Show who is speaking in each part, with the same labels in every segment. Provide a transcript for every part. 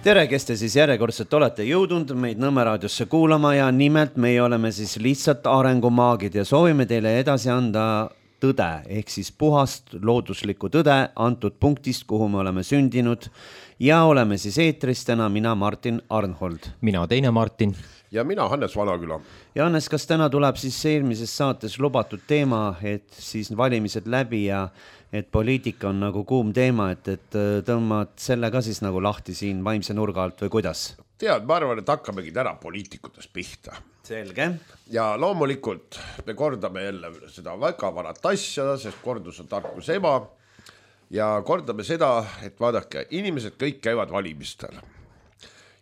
Speaker 1: Tere, kes te siis järjekordselt olete jõudnud meid Nõmme raadiosse kuulama ja nimelt meie oleme siis lihtsalt arengumaagid ja soovime teile edasi anda tõde, ehk siis puhast looduslikku tõde antud punktist, kuhu me oleme sündinud ja oleme siis eetris täna mina, Martin Arnhold.
Speaker 2: Mina teine Martin.
Speaker 3: Ja mina Hannes Vanaküla.
Speaker 1: Ja Hannes, kas täna tuleb siis eelmises saates lubatud teema, et siis valimised läbi ja et poliitika on nagu kuum teema, et tõmbad selle ka siis nagu lahti siin vaimse nurga alt või kuidas?
Speaker 3: Tead, ma arvan, et hakkamegi täna poliitikutest pihta.
Speaker 1: Selge.
Speaker 3: Ja loomulikult me kordame jälle seda väga varat asja, sest kordus on tarkus ema. Ja kordame seda, et vaadake, inimesed kõik käivad valimistel.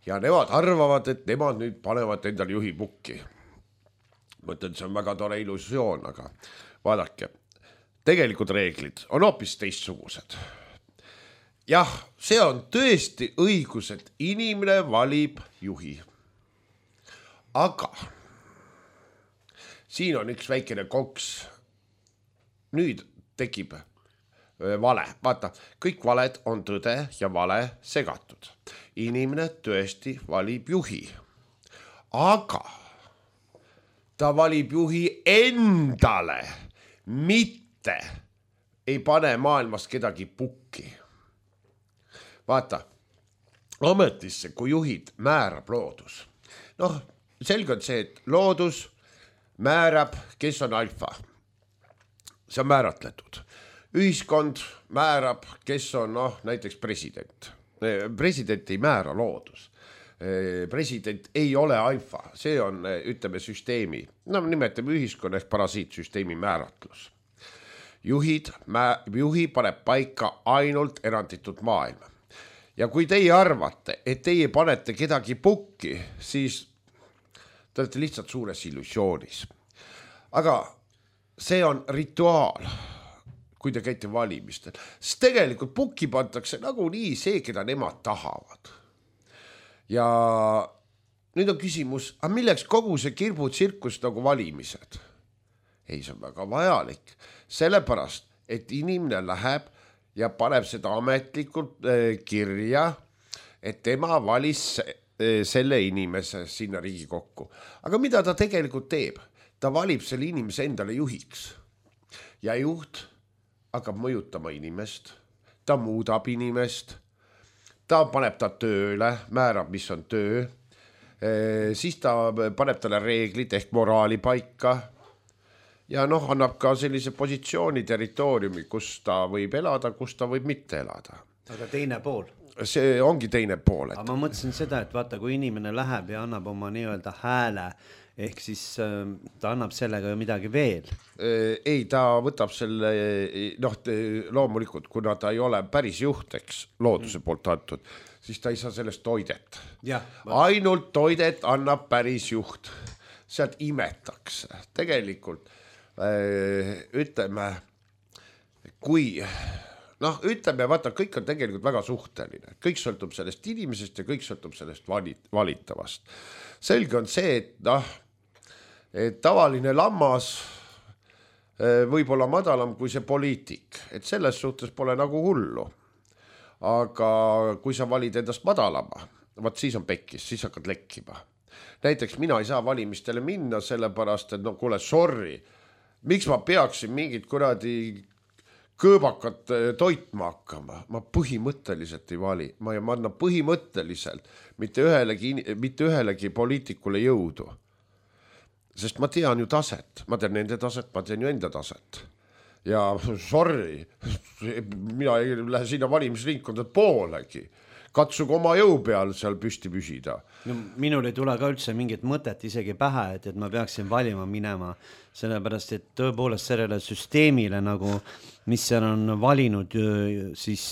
Speaker 3: Ja nemad arvavad, et nemad nüüd panevad endal juhi pukki. Mõtlen, see on väga tore illusioon, aga vaadake, tegelikult reeglid on hoopis teistsugused. Jah, see on tõesti õigus, et inimene valib juhi. Aga siin on üks väikene koks. Nüüd tekib vale. Vaata, kõik valed on tõde ja vale segatud. Inimene tõesti valib juhi. Aga ta valib juhi endale, mitte ei pane maailmas kedagi pukki. Vaata, ametisse, kui juhid määrab loodus. Noh, selge on see, et loodus määrab, kes on alfa. See on määratletud. Ühiskond määrab, kes on näiteks president. President ei määra loodus. President ei ole alfa, see on, ütleme, süsteemi, nimetame ühiskonna ehk parasiitsüsteemi määratlus. Juhi paneb paika ainult eranditud maailma. Ja kui teie arvate, et teie panete kedagi pukki, siis te olete lihtsalt suures illusioonis. Aga see on rituaal, kui te käite valimistel. Sest tegelikult pukki pantakse nagu nii see, keda nemad tahavad. Ja nüüd on küsimus, aga milleks kogu see kirbutsirkus nagu valimised? Ei, see on väga vajalik. Sellepärast, et inimene läheb ja paneb seda ametlikult kirja, et tema valis selle inimese sinna Riigikokku. Aga mida ta tegelikult teeb? Ta valib selle inimese endale juhiks. Ja juht hakkab mõjutama inimest, ta muudab inimest, ta paneb ta tööle, määrab, mis on töö, siis ta paneb talle reeglid ehk moraali paika ja annab ka sellise positsiooni territooriumi, kus ta võib elada, kus ta võib mitte elada.
Speaker 1: Aga teine pool?
Speaker 3: See ongi teine pool.
Speaker 1: Aga ma mõtlesin seda, et vaata, kui inimene läheb ja annab oma nii-öelda hääle, ehk siis ta annab sellega ju midagi veel.
Speaker 3: Ei, ta võtab selle, loomulikult, kuna ta ei ole päris juhteks looduse poolt antud, siis ta ei saa sellest toidet. Ainult toidet annab päris juht. Sealt imetakse. Tegelikult, ütleme, kui... ütleme, vaata, kõik on tegelikult väga suhteline. Kõik sõltub sellest inimesest ja kõik sõltub sellest valitavast. Selge on see, et tavaline lammas võib olla madalam kui see poliitik. Et selles suhtes pole nagu hullu. Aga kui sa valid endast madalama, siis on pekkis, siis hakkad lekkima. Näiteks mina ei saa valimistele minna sellepärast, et kuule, sorry, miks ma peaksin mingit kuradi kõõbakat toitma hakkama. Ma põhimõtteliselt ei vali. Ma annan põhimõtteliselt mitte ühelegi poliitikule jõudu. Sest ma tean ju taset. Ma tean nende taset, ma tean ju enda taset. Ja sorry, mina ei lähe sinna valimisringkonda poolegi. Katsug oma jõu peal seal püsti püsida.
Speaker 1: Minul ei tule ka üldse mingit mõtet isegi pähe, et ma peaksin valima minema, sellepärast, et tõepoolest sellele süsteemile nagu, mis seal on valinud, siis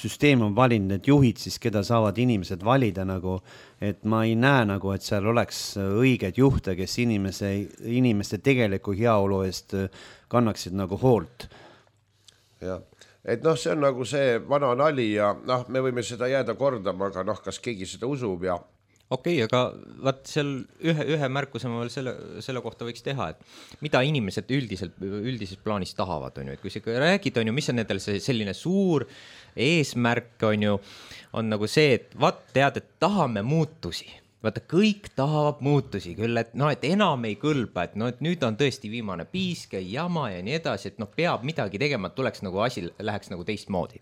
Speaker 1: süsteem on valinud need juhid, siis keda saavad inimesed valida nagu, et ma ei näe nagu, et seal oleks õiged juhte, kes inimeste tegeliku heaolu eest kannaksid nagu hoolt.
Speaker 3: Jah. Et see on nagu see vana nali ja me võime seda jääda kordama, aga kas keegi seda usub ja
Speaker 2: Okei, aga vaat seal ühe märkuse ma veel selle kohta võiks teha, et mida inimesed üldises plaanis tahavad, on ju, et kui sa räägid, on ju, mis on nendel selline suur eesmärk, on nagu see, et vaat tead, et tahame muutusi. Vaata, kõik tahavad muutusi küll, et et enam ei kõlba, et et nüüd on tõesti viimane piiske, jama ja nii edasi, et peab midagi tegema, et tuleks nagu asi läheks nagu teistmoodi.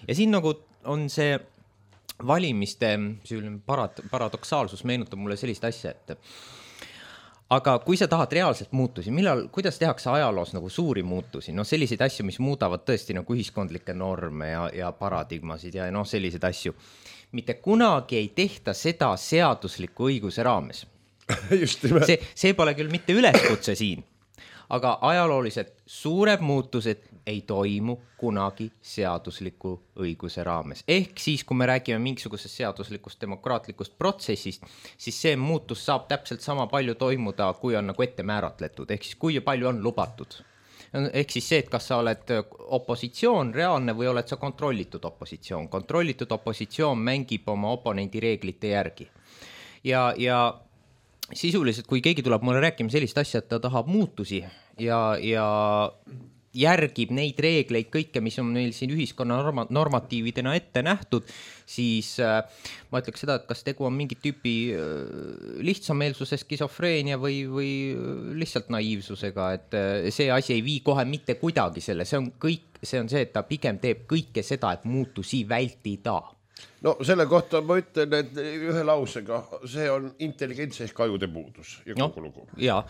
Speaker 2: Ja siin nagu on see valimiste paradoksaalsus meenutab mulle sellist asja, et aga kui sa tahad reaalselt muutusi, kuidas tehakse ajaloos nagu suuri muutusi, selliseid asju, mis muudavad tõesti nagu ühiskondlikke norme ja paradigmasid ja selliseid asju, mitte kunagi ei tehta seda seadusliku õiguse raames.
Speaker 3: Just nimelt.
Speaker 2: See pole küll mitte üleskutse siin, aga ajaloolised suured muutused ei toimu kunagi seadusliku õiguse raames. Ehk siis, kui me räägime mingisugusest seaduslikust demokraatlikust protsessist, siis see muutus saab täpselt sama palju toimuda, kui on nagu ette määratletud. Ehk siis, kui palju on lubatud. Ehk siis see, et kas sa oled opositsioon reaalne või oled sa kontrollitud opositsioon. Kontrollitud opositsioon mängib oma oponendi reeglite järgi. Ja sisuliselt, kui keegi tuleb mulle rääkima sellist asja, et ta tahab muutusi ja järgib neid reegleid kõike, mis on meil siin ühiskonna normatiividena ette nähtud, siis ma ütleks seda, et kas tegu on mingi tüüpi lihtsameelsuse, skisofreenia või lihtsalt naiivsusega, et see asi ei vii kohe mitte kuidagi selle, see on see, et ta pigem teeb kõike seda, et muutusi vältida.
Speaker 3: No selle kohta ma ütlen, et ühe lausega, see on intelligentse ehk ajude puudus ja kogu lugu.
Speaker 2: Ja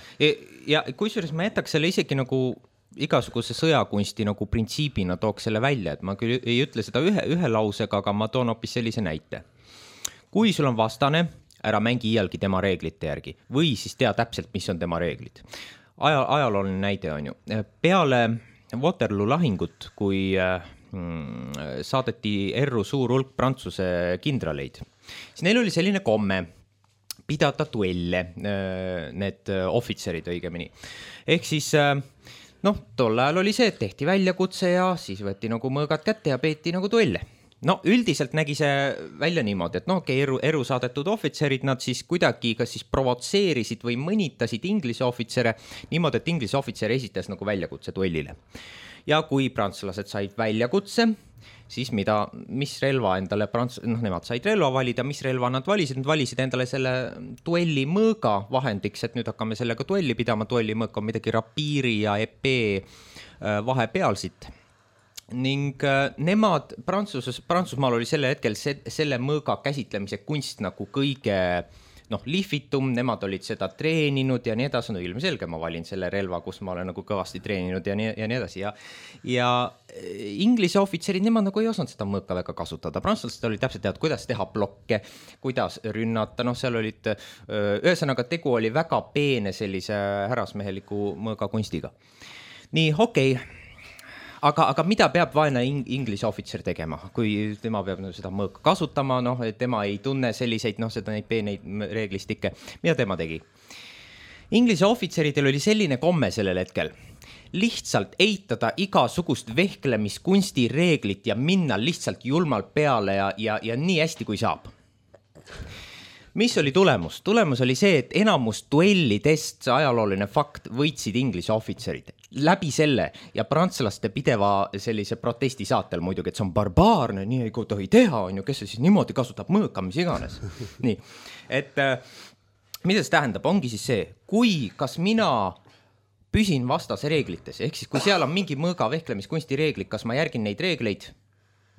Speaker 2: kusjuures ma jätaks selle isegi nagu igasuguse sõjakunsti nagu printsiibina tooks selle välja, et ma küll ei ütle seda ühe lausega, aga ma toon hoopis sellise näite. Kui sul on vastane, ära mängi iialgi tema reeglite järgi või siis tea täpselt, mis on tema reeglid. Ajalooline näide on ju. Peale Waterloo lahingut, kui saadeti erru suur hulk Prantsuse kindraleid, siis neil oli selline komme pidada duelle, need ohvitserid õigemini. Ehk siis tol ajal oli see, et tehti väljakutse ja siis võeti nagu mõõgad kätte ja peeti nagu duelle. Üldiselt nägi see välja niimoodi, et eru saadetud ohvitserid, nad siis kuidagi kas siis provotseerisid või mõnitasid Inglise ohvitsere niimoodi, et Inglise ohvitser esitas nagu väljakutse duellile. Ja kui prantslased said väljakutse, siis mis relva endale nemad said relva valida, mis relva nad valisid endale selle duelli mõõga vahendiks, et nüüd hakkame sellega duelli pidama, duelli mõõk on midagi rapiiri ja epee vahepealsit. Ning nemad Prantsusmaal oli selle hetkel selle mõõga käsitlemise kunst nagu kõige lihvitum, nemad olid seda treeninud ja nii edasi, ilmselge ma valin selle relva, kus ma olen nagu kõvasti treeninud ja nii edasi. Ja Inglise ohvitserid, nemad nagu ei osanud seda mõõka väga kasutada. Prantslased olid täpselt tead, kuidas teha blokke, kuidas rünnata, seal olid, ühesõnaga tegu oli väga peene sellise härrasmeheliku mõõga kunstiga. Nii, okei. Aga mida peab vaene Inglise ohvitser tegema, kui tema peab seda mõõka kasutama, tema ei tunne selliseid, neid peeneid reeglistikke, mida tema tegi? Inglise ohvitseridel oli selline komme sellel hetkel, lihtsalt eitada igasugust vehklemiskunsti reeglit ja minna lihtsalt julmalt peale ja nii hästi kui saab. Mis oli tulemus? Tulemus oli see, et enamus duellidest, see ajalooline fakt, võitsid Inglise ohvitserid läbi selle ja prantslaste pideva sellise protesti saatel muidugi, et see on barbaarne, nii ei tohi teha, on ju, kes see siis niimoodi kasutab mõõka, mis iganes. Nii, et mida see tähendab? Ongi siis see, kas mina püsin vastase reeglites, ehk siis kui seal on mingi mõõga vehklemiskunsti reeglid, kas ma järgin neid reegleid,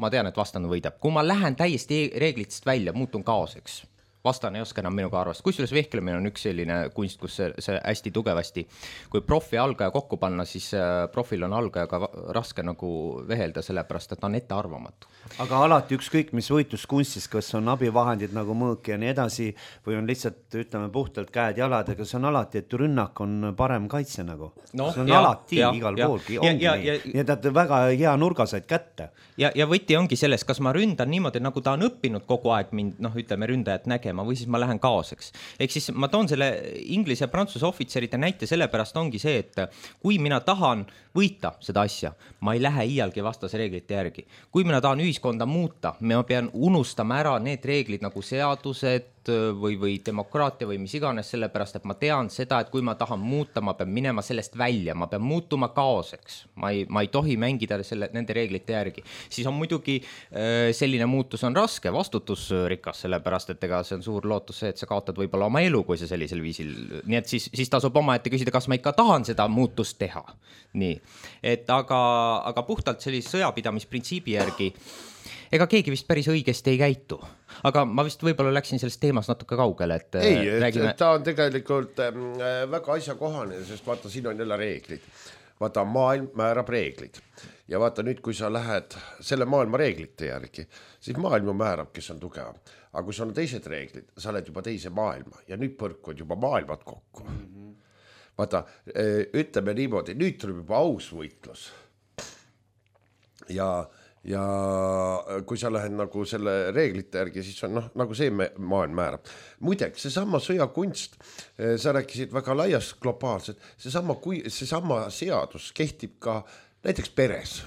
Speaker 2: ma tean, et vastane võidab. Kui ma lähen täiesti reeglitest välja, muutun kaoseks. Vastane ei oska enam minuga arvast. Kusjuures vehklemine on üks selline kunst, kus see hästi tugevasti, kui profi algaja kokku panna, siis profil on algajaga raske nagu vehelda, sellepärast, et ta on ette arvamatu.
Speaker 1: Aga alati ükskõik, mis võitluskunstis, kas on abivahendid nagu mõõk ja nii edasi, või on lihtsalt, ütleme, puhtalt käed-jalad, aga see on alati, et rünnak on parem kaitse nagu. See on alati igal poolgi. Nii et väga hea nurga said kätte.
Speaker 2: Ja võti ongi selles, kas ma ründan niimoodi, nagu ta on õppinud kogu aeg mind, ütleme, ründajat nägema, või siis ma lähen kaoseks. Ehk siis ma toon selle Inglise ja Prantsuse ohvitserite näite, sellepärast ongi see, et kui mina tahan võita seda asja, ma ei lähe iialgi vastase reeglite järgi. Kui mina tahan ühiskonda muuta, ma pean unustama ära need reeglid nagu seadused, või demokraatia või mis iganes, sellepärast et ma tean seda, et kui ma tahan muuta, ma pean minema sellest välja, ma pean muutuma kaoseks, ma ei tohi mängida nende reeglite järgi. Siis on muidugi selline muutus on raske, vastutusrikas, sellepärast et ega see on suur lootus see, et sa kaotad võib-olla oma elu, kui sa sellisel viisil, nii et siis tasub oma ette küsida, kas ma ikka tahan seda muutust teha. Nii, et aga puhtalt sellise sõjapidamisprintsiibi järgi ega keegi vist päris õigesti ei käitu, aga ma vist võib-olla läksin sellest teemast natuke kaugele, et
Speaker 3: räägime... ta on tegelikult väga asjakohane, sest vaata, siin on jälle reeglid. Vaata, maailm määrab reeglid ja vaata nüüd, kui sa lähed selle maailma reeglite järgi, siis maailma määrab, kes on tugevam. Aga kui sul on teised reeglid, sa oled juba teise maailma ja nüüd põrkud juba maailmad kokku. Vaata, ütleme niimoodi, nüüd tuleb juba aus võitlus ja kui sa lähed nagu selle reeglite järgi, siis on nagu see maailm määrab. Muideks, seesama sõjakunst, sa rääkisid väga laias globaalselt, seesama seadus kehtib ka näiteks peres.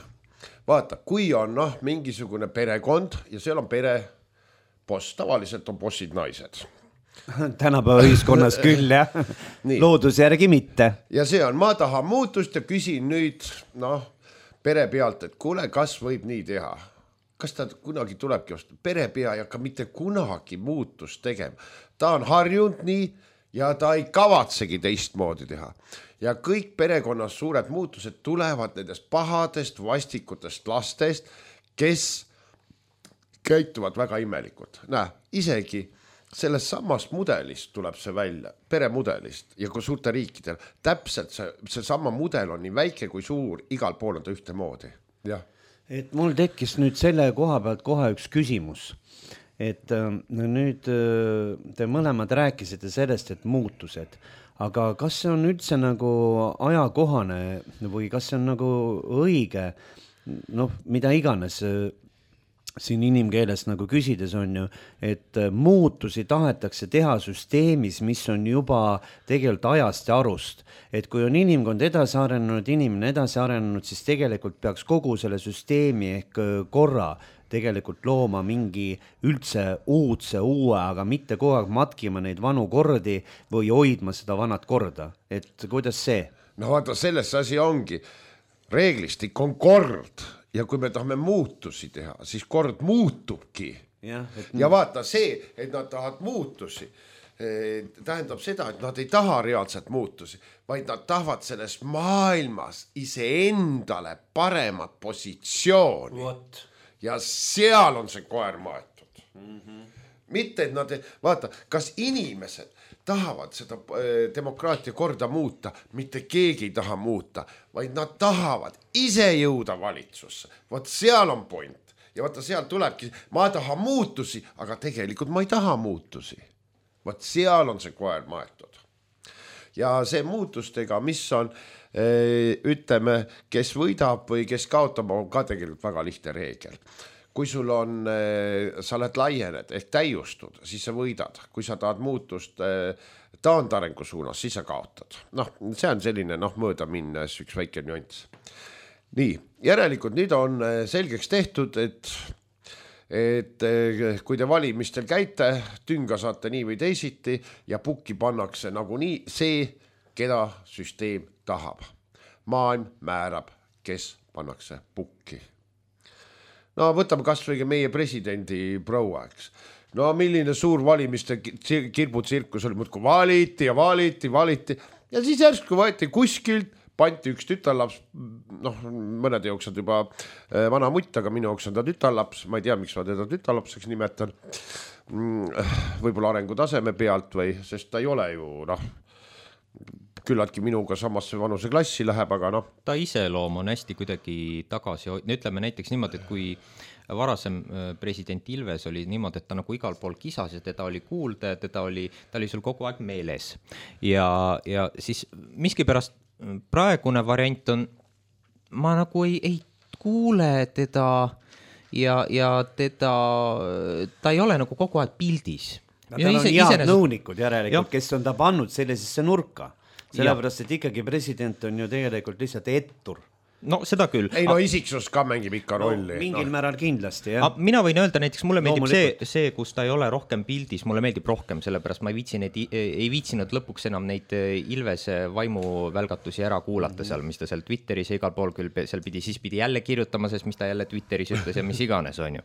Speaker 3: Vaata, kui on mingisugune perekond ja seal on pereboss, tavaliselt on bossid naised.
Speaker 1: Tänapäeva ühiskonnas küll, jah. Loodus järgi mitte.
Speaker 3: Ja see on, ma tahan muutust ja küsin nüüd, pere pealt, et kuule, kas võib nii teha? Kas ta kunagi tulebki vastu? Pere pea ei hakka mitte kunagi muutust tegema. Ta on harjunud nii ja ta ei kavatsegi teistmoodi teha. Ja kõik perekonnas suured muutused tulevad nendest pahadest, vastikutest lastest, kes käituvad väga imelikult. Isegi sellest samast mudelist tuleb see välja, peremudelist ja kui suurte riikidel, täpselt see sama mudel on nii väike kui suur, igal pool on ta ühte moodi. Ja.
Speaker 1: Et mul tekkis nüüd selle koha pealt kohe üks küsimus, et nüüd te mõlemad rääkisite sellest, et muutused, aga kas see on üldse nagu ajakohane või kas see on nagu õige, mida iganes siin inimkeeles nagu küsides on ju, et muutusi tahetakse teha süsteemis, mis on juba tegelikult ajast ja arust. Et kui on inimkond edasi arenenud, inimene edasi arenenud, siis tegelikult peaks kogu selle süsteemi ehk korra tegelikult looma mingi üldse uue, aga mitte kogu aeg matkima neid vanu kordi või hoidma seda vanat korda. Et kuidas see?
Speaker 3: Vaata, selles asi ongi. Reeglistik on kord. Ja kui me tahame muutusi teha, siis kord muutubki. Ja vaata see, et nad tahavad muutusi, tähendab seda, et nad ei taha reaalselt muutusi, vaid nad tahavad selles maailmas iseendale paremat positsiooni. Ja seal on see koer maetud. Mitte, et nad, vaata, kas inimesed tahavad seda demokraatia korda muuta, mitte keegi ei taha muuta, vaid nad tahavad ise jõuda valitsusse. Vaat seal on point. Ja vaata seal tulebki, ma tahan muutusi, aga tegelikult ma ei taha muutusi. Vaat seal on see koer maetud. Ja see muutustega, mis on, ütleme, kes võidab või kes kaotab, on ka tegelikult väga lihtne reegel. Kui sul on, sa oled laiened ehk täiustud, siis sa võidad. Kui sa tahad muutust taandarengu suunas, siis sa kaotad. See on selline mööda minnes üks väike nüanss. Nii, järelikult nüüd on selgeks tehtud, et kui te valimistel käite, tünga saate nii või teisiti ja pukki pannakse nagu nii see, keda süsteem tahab. Maailm määrab, kes pannakse pukki. Võtame kas või meie presidendi proua, eks. Milline suur valimiste kirbutsirkus oli, muudku valiti ja ja siis järsku võeti kuskilt, panti üks tütarlaps, mõnede jooks on juba vana mutt, aga minu jooks on ta tütarlaps, ma ei tea, miks ma teda tütarlapseks nimetan, võib-olla arengutaseme pealt või, sest ta ei ole ju, küllaltki minuga samasse vanuse klassi läheb, aga
Speaker 2: Ta iseloom on hästi kuidagi tagasi, ütleme näiteks niimoodi, et kui varasem president Ilves oli niimoodi, et ta nagu igal pool kisas ja teda oli kuulda ja ta oli sul kogu aeg meeles. Ja siis miskipärast praegune variant on, ma nagu ei kuule teda ja ta ei ole nagu kogu aeg pildis.
Speaker 1: Tal on head nõunikud järelikult, kes on ta pannud sellisesse nurka. Sellepärast, et ikkagi president on ju tegelikult lihtsalt ettur.
Speaker 2: no seda küll.
Speaker 3: Ei no isiksus ka mängib ikka rolli.
Speaker 1: Mingil määral kindlasti, jah.
Speaker 2: Mina võin öelda näiteks, mulle meeldib see, kus ta ei ole rohkem pildis, mulle meeldib rohkem, sellepärast ma ei viitsinud lõpuks enam neid Ilvese vaimuvälgatusi ära kuulata seal, mis ta seal Twitteris ja igal pool küll seal siis pidi jälle kirjutama, sest mis ta jälle Twitteris ütles ja mis iganes on ju.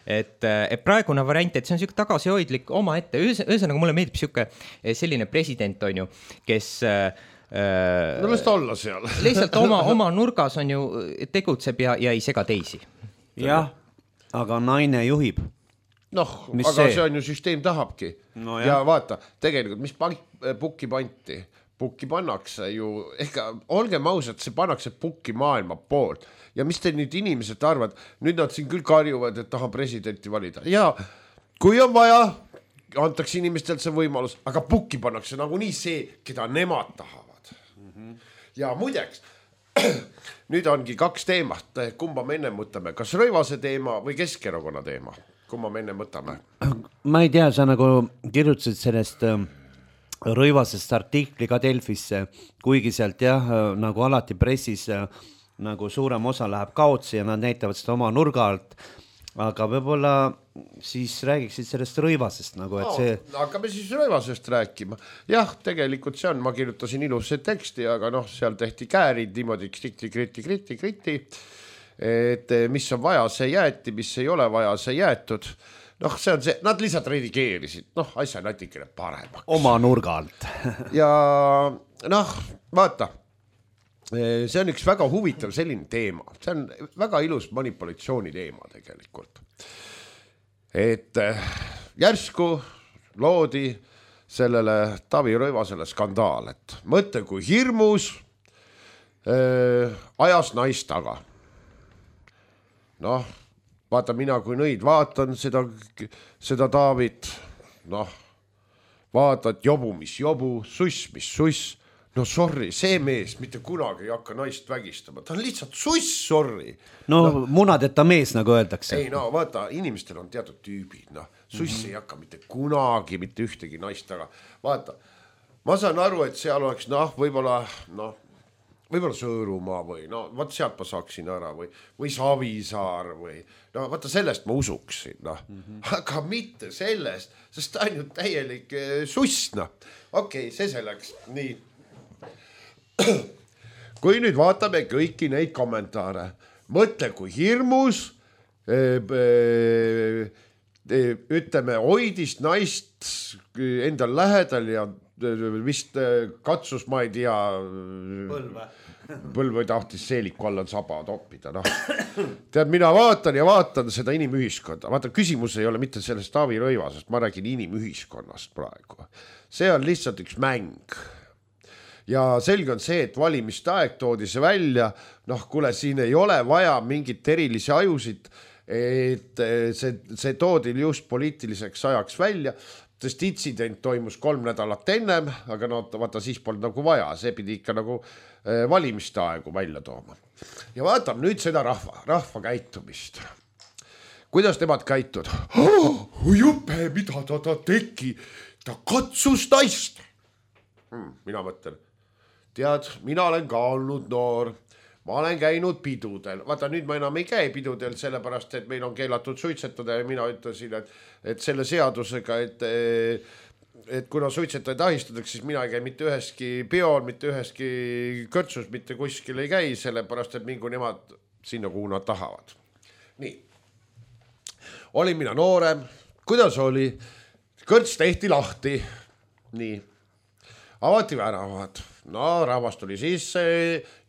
Speaker 2: Et praegune variant, et see on siuke tagasihoidlik oma ette, ühesõnaga mulle meeldib siuke selline president on ju, kes
Speaker 3: no las ta olla seal.
Speaker 2: Lihtsalt oma nurgas on ju tegutseb ja ei sega teisi.
Speaker 1: Jah, aga naine juhib.
Speaker 3: Noh, aga see on ju süsteem tahabki. No, ja vaata, tegelikult, mis pukki panti? Pukki pannakse ju, olgem ausad, see pannakse pukki maailma poolt. Ja mis te nüüd inimesed arvad? Nüüd nad siin küll karjuvad, et tahan presidenti valida. Ja kui on vaja, antakse inimestelt see võimalus, aga pukki pannakse nagu nii see, keda nemad tahavad. Ja muideks, nüüd ongi 2 teemat, kumba me enne mõtleme, kas Rõivase teema või Keskerakonna teema, kumba me enne mõtleme?
Speaker 1: Ma ei tea, sa nagu kirjutasid sellest Rõivasest artikli ka Delfisse, kuigi sealt jah, nagu alati pressis nagu suurem osa läheb kaotsi ja nad näitavad seda oma nurga alt, aga võib-olla siis räägiksid sellest Rõivasest nagu, et see...
Speaker 3: Hakkame siis Rõivasest rääkima. Jah, tegelikult see on, ma kirjutasin ilusse teksti, aga seal tehti käärid niimoodi kriti, et mis on vaja, see jäeti, mis ei ole vaja, see jäetud. See on see, nad lihtsalt redigeerisid, asja natikene paremaks.
Speaker 1: Oma nurga alt.
Speaker 3: Ja vaata, see on üks väga huvitav selline teema, see on väga ilus manipulatsiooni teema tegelikult. Et järsku loodi sellele Taavi Rõivasele skandaal, et mõtle kui hirmus ajas naist taga. Vaata, mina kui nõid vaatan seda Taavit, vaatad jobu, mis jobu, suss, mis suss. Sorry, see mees mitte kunagi ei hakka naist vägistama. Ta on lihtsalt suss, sorry.
Speaker 1: Munadeta mees, nagu öeldakse.
Speaker 3: Ei, vaata, inimestel on teatud tüübid. Suss ei hakka mitte kunagi, mitte ühtegi naist taga. Vaata, ma saan aru, et seal oleks, võib-olla Sõõrumaa või, vaat sealt ma saaksin ära või Savisaar või, vaata sellest ma usuksin, aga mitte sellest, sest ta on ju täielik suss, Okei, see selleks, nii. Kui nüüd vaatame kõiki neid kommentaare, mõtle kui hirmus, ütleme, hoidis naist endal lähedal ja vist katsus, ma ei tea, põlve tahtis seeliku alla saba toppida. Tead, mina vaatan seda inimühiskonda. Vaata, küsimus ei ole mitte sellest Taavi Rõivasest, ma räägin inimühiskonnast praegu. See on lihtsalt üks mäng. Ja selge on see, et valimiste aeg toodi see välja, kuule, siin ei ole vaja mingit erilisi ajusid, et see toodi just poliitiliseks ajaks välja, sest intsident toimus 3 nädalat ennem, aga vaata, siis polnud nagu vaja, see pidi ikka nagu valimiste aegu välja tooma. Ja vaatame nüüd seda rahva käitumist. Kuidas nemad käitud? Juppe, mida ta tegi? Ta katsus naist. Mina mõtlen, tead, mina olen ka olnud noor, ma olen käinud pidudel. Vaata, nüüd ma enam ei käi pidudel, sellepärast, et meil on keelatud suitsetada ja mina ütlesin, et selle seadusega, et kuna suitsetajaid ahistatakse, siis mina ei käi mitte üheski peol, mitte üheski kõrtsus, mitte kuskil ei käi, sellepärast, et mingu nemad sinna, kuhu nad tahavad. Nii. Olin mina noorem. Kuidas oli? Kõrts tehti lahti. Nii. Avati väravad. Rahvas tuli sisse,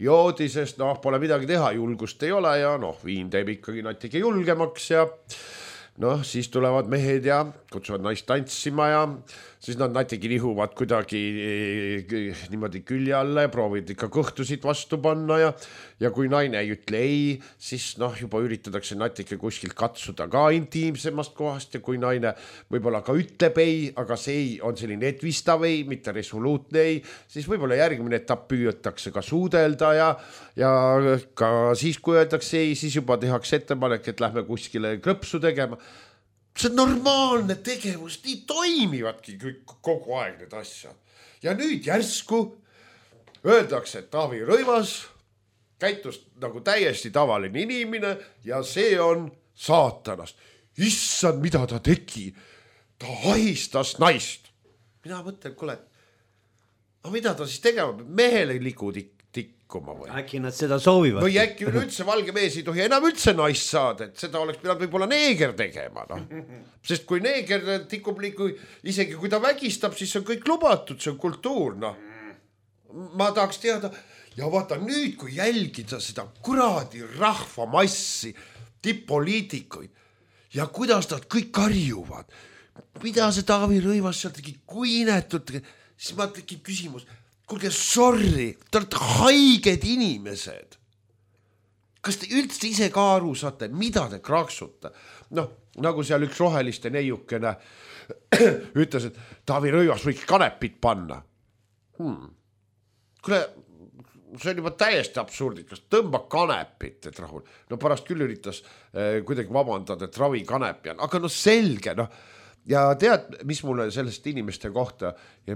Speaker 3: joodi, sest pole midagi teha, julgust ei ole ja viin teeb ikkagi natuke julgemaks ja siis tulevad mehed ja kutsuvad naist tantsima ja siis nad natuke nihuvad kuidagi niimoodi külje alla ja proovid ikka kõhtusid vastu panna ja kui naine ei ütle ei, siis juba üritatakse natuke kuskilt katsuda ka intiimsemast kohast ja kui naine võib-olla ka ütleb ei, aga see ei on selline etvistav ei, mitte resoluutne ei, siis võib-olla järgmine etapp püüetakse ka suudelda ja ka siis, kui öeldakse ei, siis juba tehakse ettepanek, et lähme kuskile krõpsu tegema. See on normaalne tegevus, nii toimivadki kogu aeg need asjad. Ja nüüd järsku öeldakse, et Taavi Rõivas käitus nagu täiesti tavaline inimene ja see on saatanast. Issand, mida ta tegi? Ta ahistas naist. Mina mõtlen, kuule, mida ta siis tegema? Mehele ligu tikkuma või?
Speaker 1: Äkki nad seda soovivad?
Speaker 3: Või äkki üldse valge mees ei tohi enam üldse naist saada, et seda oleks pidanud võib-olla neeger tegema. No. Sest kui neeger tikub liigu, isegi kui ta vägistab, siis on kõik lubatud, see on kultuur. No. Ma tahaks teada, ja vaata nüüd, kui jälgida seda kuradi rahvamassi, tipp-poliitikuid ja kuidas nad kõik karjuvad, mida see Taavi Rõivas seal tegi, kui inetud, siis ma tekib küsimus, kuulge, sorry, te olete haiged inimesed. Kas te üldse ise ka aru saate, mida te kraksute? Noh, nagu seal üks roheliste neiukene ütles, et Taavi Rõivas võiks kanepit panna. Kuule, see on juba täiesti absurdikas, tõmba kanepit, et rahul. No pärast küll üritas kuidagi vabandada, et ravi kanepi on, aga no selge, noh. Ja tead, mis mulle sellest inimeste kohta ja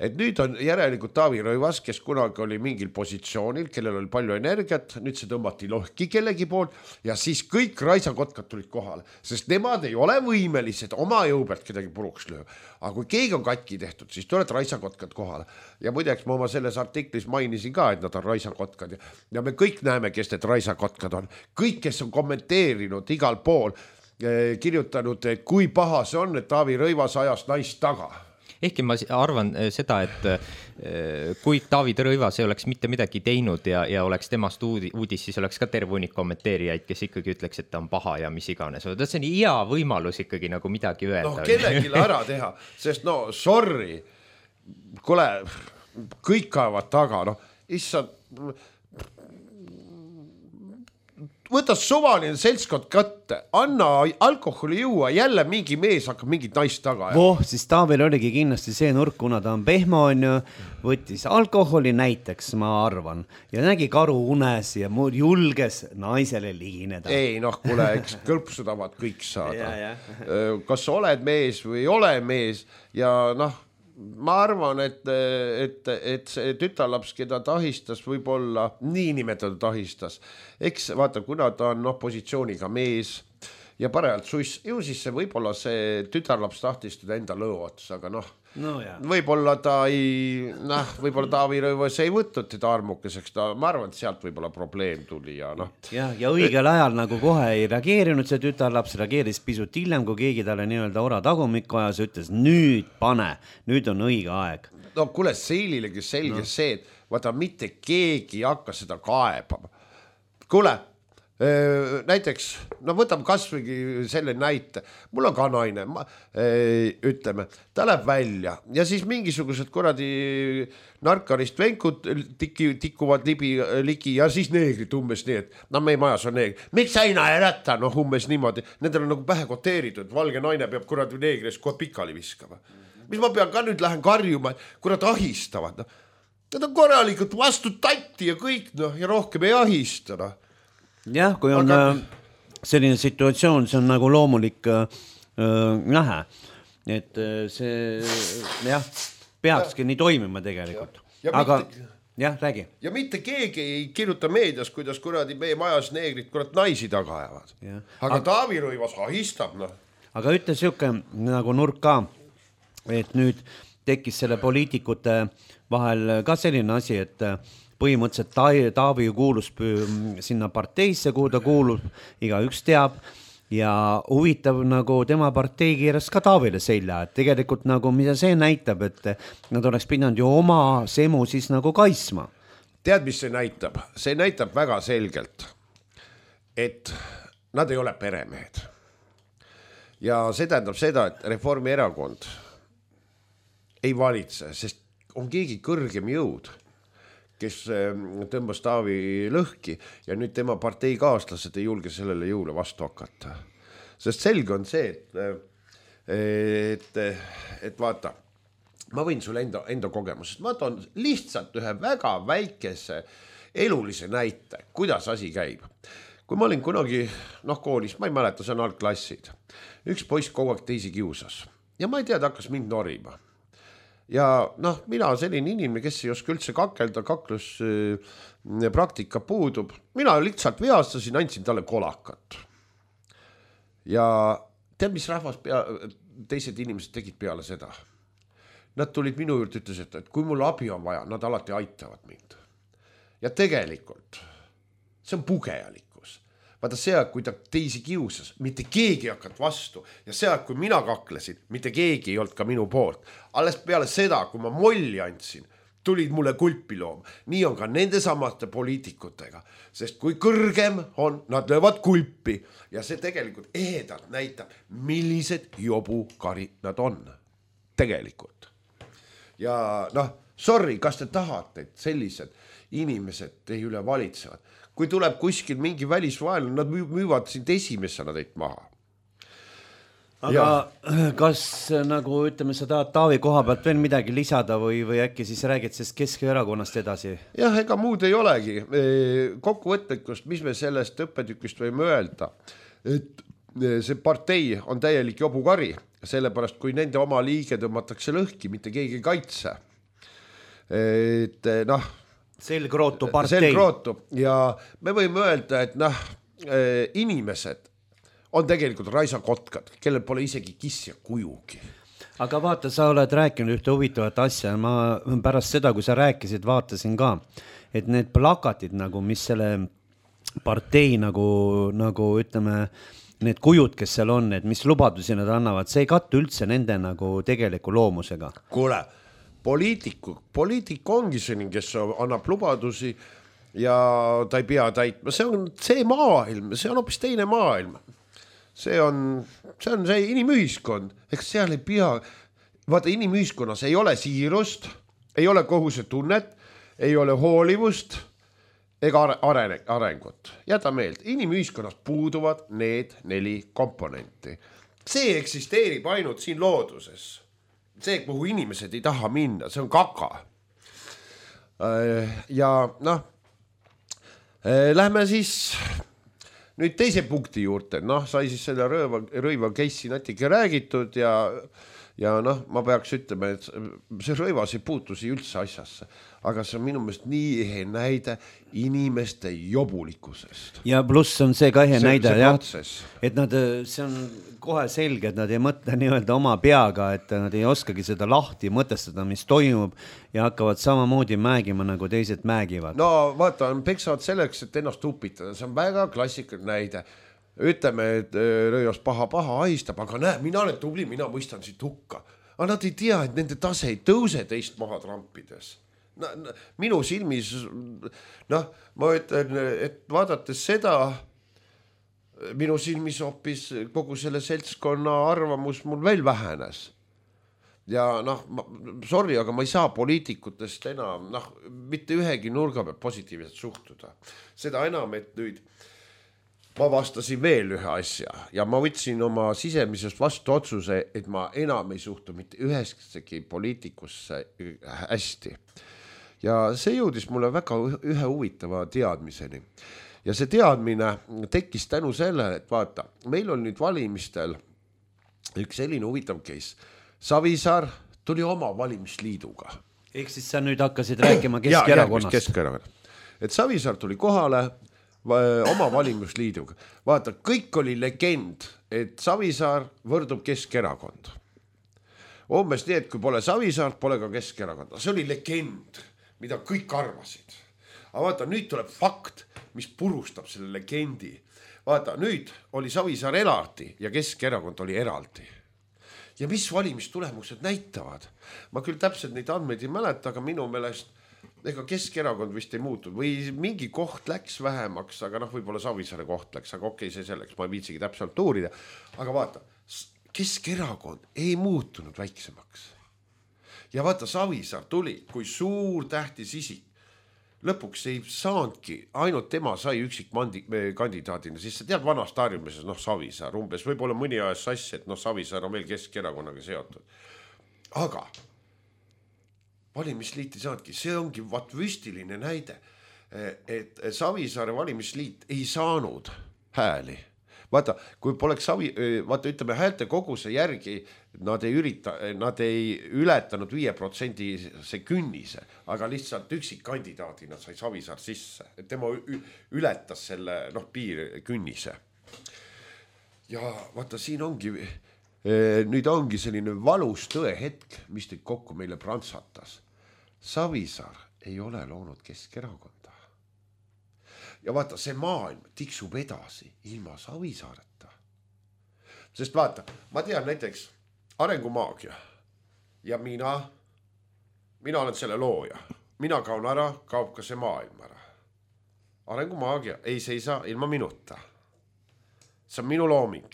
Speaker 3: et nüüd on järelikult Taavi Rõivas, kes kunagi oli mingil positsioonil, kellel oli palju energiat, nüüd see tõmbati lohki kellegi poolt ja siis kõik raisakotkad tulid kohale, sest nemad ei ole võimelised oma jõu pealt kedagi puruks lööma. Aga kui keegi on katki tehtud, siis tuleb raisakotkad kohale. Ja muideks ma oma selles artiklis mainisin ka, et nad on raisakotkad ja me kõik näeme, kes need raisakotkad on. Kõik, kes on kommenteerinud igal pool, kirjutanud, et kui paha see on, et Taavi Rõivas ajas naist taga.
Speaker 2: Ehkki ma arvan seda, et kui Taavi Rõivas ei oleks mitte midagi teinud ja oleks temast uudis, siis oleks ka terve hunnik kommenteerijaid, kes ikkagi ütleks, et ta on paha ja mis iganes. See on hea võimalus ikkagi nagu midagi öelda.
Speaker 3: No kellegile ära teha, sest no sorry, kuule, kõik kaevad taga, no issand, võta suvaline seltskond kätte, anna alkoholi juua, jälle mingi mees hakkab mingit naist taga.
Speaker 1: Siis Taavil oligi kindlasti see nurk, kuna ta on pehmo, on ju, võttis alkoholi näiteks, ma arvan, ja nägi karu unes ja julges naisele ligineda.
Speaker 3: Ei, noh, kuule, eks kõlpsudavad kõik saada. Kas oled mees või ei ole mees ja noh, ma arvan, et see tütarlaps, keda ta ahistas, võib-olla niinimetatud ahistas. Eks vaata, kuna ta on positsiooniga mees ja parajalt suss, ju siis see võib-olla see tütarlaps tahtis teda enda lõu ots, aga noh, võib-olla ta ei, võib-olla Taavi Rõivas ei võtnud teda armukeseks, ma arvan, et sealt võib-olla probleem tuli ja noh.
Speaker 1: Ja õigel ajal nagu kohe ei reageerinud see tütarlaps, reageeris pisut hiljem, kui keegi talle nii-öelda ora tagumikku ajas, ütles nüüd pane, nüüd on õige aeg.
Speaker 3: No kuule, Seililegi selge see, et vaata mitte keegi hakka seda kaebama. Kuule, näiteks, no võtame kasvõi selle näite, mul on ka naine, ütleme, ta läheb välja ja siis mingisugused kuradi narkarist venkud tikuvad ligi ja siis neegrid umbes nii, et meie majas on neegrid. Miks aina ei rätta, umbes niimoodi, nendel on nagu pähe koteeritud, valge naine peab kuradi neegris kohe pikali viskama. Mis ma pean ka nüüd lähen karjuma, kurad ahistavad, Nad on korralikult vastu tatti ja kõik, ja rohkem ei ahista,
Speaker 1: Jah, kui on selline situatsioon, see on nagu loomulik nähe, et see peakski nii toimima tegelikult. Aga räägi.
Speaker 3: Ja mitte keegi ei kirjuta meedias, kuidas kuradi meie majas neegrid kurat naisi taga ajavad. Aga Taavi Rõivas ahistab.
Speaker 1: Aga ütle siuke nagu nurk ka, et nüüd tekkis selle poliitikute vahel ka selline asi, et põhimõtteliselt Taavi kuulus sinna parteisse, kuhu ta kuulub, igaüks teab ja huvitav nagu tema partei keeras ka Taavile selja, et tegelikult nagu mida see näitab, et nad oleks pidanud ju oma semu siis nagu kaitsma.
Speaker 3: Tead, mis see näitab? See näitab väga selgelt, et nad ei ole peremehed. Ja see tähendab seda, et Reformierakond ei valitse, sest on keegi kõrgem jõud, kes tõmbas Taavi lõhki ja nüüd tema parteikaaslased ei julge sellele jõule vastu hakata. Sest selge on see, et vaata, ma võin sulle enda kogemusest, ma toon lihtsalt ühe väga väikese elulise näite, kuidas asi käib. Kui ma olin kunagi koolis, ma ei mäleta, see on algklassid, üks poiss kogu aeg teisi kiusas ja ma ei tea, ta hakkas mind norima. ja noh, mina selline inimene, kes ei oska üldse kakelda, kaklus praktika puudub, mina lihtsalt veastasin, andsin talle kolakat. Ja tead, mis rahvas teised inimesed tegid peale seda? Nad tulid minu juurde, ütlesid, et kui mul abi on vaja, nad alati aitavad mind. Ja tegelikult see on pugejalikkus. Vaata see, kui ta teisi kiusas, mitte keegi ei hakanud vastu ja see, kui mina kaklesin, mitte keegi ei olnud ka minu poolt. Alles peale seda, kui ma molli andsin, tulid mulle kulpi looma. Nii on ka nende samate poliitikutega, sest kui kõrgem on, nad löövad kulpi ja see tegelikult ehedalt näitab, millised jobukari nad on. Tegelikult. Ja noh, sorry, kas te tahate, et sellised inimesed teie üle valitsevad? Kui tuleb kuskil mingi välisvaenlane, nad müüvad sind esimesena teid maha.
Speaker 1: Aga ja. Kas nagu ütleme, sa tahad Taavi koha pealt veel midagi lisada või äkki siis räägid sest Keskerakonnast edasi?
Speaker 3: Jah, ega muud ei olegi. Kokkuvõtlikust, mis me sellest õppetükist võime öelda, et see partei on täielik jobukari, sellepärast kui nende oma liige tõmmatakse lõhki, mitte keegi ei kaitse. Et noh,
Speaker 1: selgrootu partei.
Speaker 3: Selgrootu ja me võime öelda, et noh, inimesed on tegelikult raisakotkad, kellel pole isegi kiss ja kujugi.
Speaker 1: Aga vaata, sa oled rääkinud ühte huvitavat asja, ma pärast seda, kui sa rääkisid, vaatasin ka, et need plakatid nagu, mis selle partei nagu ütleme, need kujud, kes seal on, et mis lubadusi nad annavad, see ei kattu üldse nende nagu tegeliku loomusega.
Speaker 3: Kuule, poliitik ongi selline, kes annab lubadusi ja ta ei pea täitma. See on see maailm, see on hoopis teine maailm. See on see inimühiskond, eks seal ei pea, vaata inimühiskonnas ei ole siirust, ei ole kohusetunnet, ei ole hoolivust ega arengut. Jäta meelde, inimühiskonnas puuduvad need 4 komponenti. See eksisteerib ainult siin looduses. See, kuhu inimesed ei taha minna, see on kaka. Ja noh, lähme siis nüüd teise punkti juurde, noh, sai siis selle rõiva case'i natuke räägitud ja noh, ma peaks ütlema, et see rõivas ei puutusi üldse asjasse, aga see on minu meelest nii ehe näide inimeste jobulikkusest.
Speaker 1: Ja pluss on see ka ehe näide, jah, et nad, see on kohe selge, et nad ei mõtle nii-öelda oma peaga, et nad ei oskagi seda lahti mõtestada, mis toimub ja hakkavad samamoodi mägima, nagu teised mägivad.
Speaker 3: No vaata, peksavad selleks, et ennast upitada, see on väga klassikaline näide. Ütleme, et rõivas paha ahistab, aga näe, mina olen tubli, mina mõistan siit hukka. Aga nad ei tea, et nende tase ei tõuse teist maha trampides. Minu silmis, noh, ma ütlen, et vaadates seda, minu silmis hoopis kogu selle seltskonna arvamus mul veel vähenes. Ja noh, sorry, aga ma ei saa poliitikutest enam, noh, mitte ühegi nurga peab positiivselt suhtuda. Seda enam, et nüüd ma vastasin veel ühe asja ja ma võtsin oma sisemisest vastu otsuse, et ma enam ei suhtu mitte ühestki poliitikusse hästi. Ja see jõudis mulle väga ühe huvitava teadmiseni. Ja see teadmine tekkis tänu sellele, et vaata, meil on nüüd valimistel üks selline huvitav case. Savisaar tuli oma valimisliiduga.
Speaker 1: Ehk siis sa nüüd hakkasid rääkima Keskerakonnast.
Speaker 3: Keskerakonnast. Et Savisaar tuli kohale oma valimisliiduga. Vaata, kõik oli legend, et Savisaar võrdub Keskerakond. Umbes nii, et kui pole Savisaar, pole ka Keskerakond. See oli legend, mida kõik arvasid. Aga vaata, nüüd tuleb fakt, mis purustab selle legendi. Vaata, nüüd oli Savisaar eraldi ja Keskerakond oli eraldi. Ja mis valimistulemused näitavad? Ma küll täpselt neid andmeid ei mäleta, aga minu meelest ega Keskerakond vist ei muutud või mingi koht läks vähemaks, aga noh, võib-olla Savisaare koht läks, aga okei, see selleks, ma ei viitsigi täpselt uurida. Aga vaata, Keskerakond ei muutunud väiksemaks. Ja vaata, Savisaar tuli, kui suur tähtis isik. Lõpuks ei saanudki, ainult tema sai üksik kandidaadina, siis sa tead vanast harjumises, noh, Savisaar umbes, võib-olla mõni ajas sassi, et noh, Savisaar on veel Keskerakonnaga seotud. Aga valimisliit ei saanudki, see ongi vüstiline näide, et Savisaare valimisliit ei saanud hääli. vaata, kui poleks vaata ütleme häälte koguse järgi, nad ei ületanud 5% künnise, aga lihtsalt üksikkandidaadina sai Savisaar sisse, et tema ületas selle piir künnise. Ja vaata, siin ongi, nüüd ongi selline valus tõe hetk, mis nüüd kokku meile prantsatas. Savisaar ei ole loonud Keskerakonda. Ja vaata, see maailm tiksub edasi ilma Savisaareta. Sest vaata, ma tean näiteks Arengumaagia ja mina olen selle looja. Mina kaon ära, kaob ka see maailm ära. Arengumaagia ei seisa ilma minuta. See on minu looming.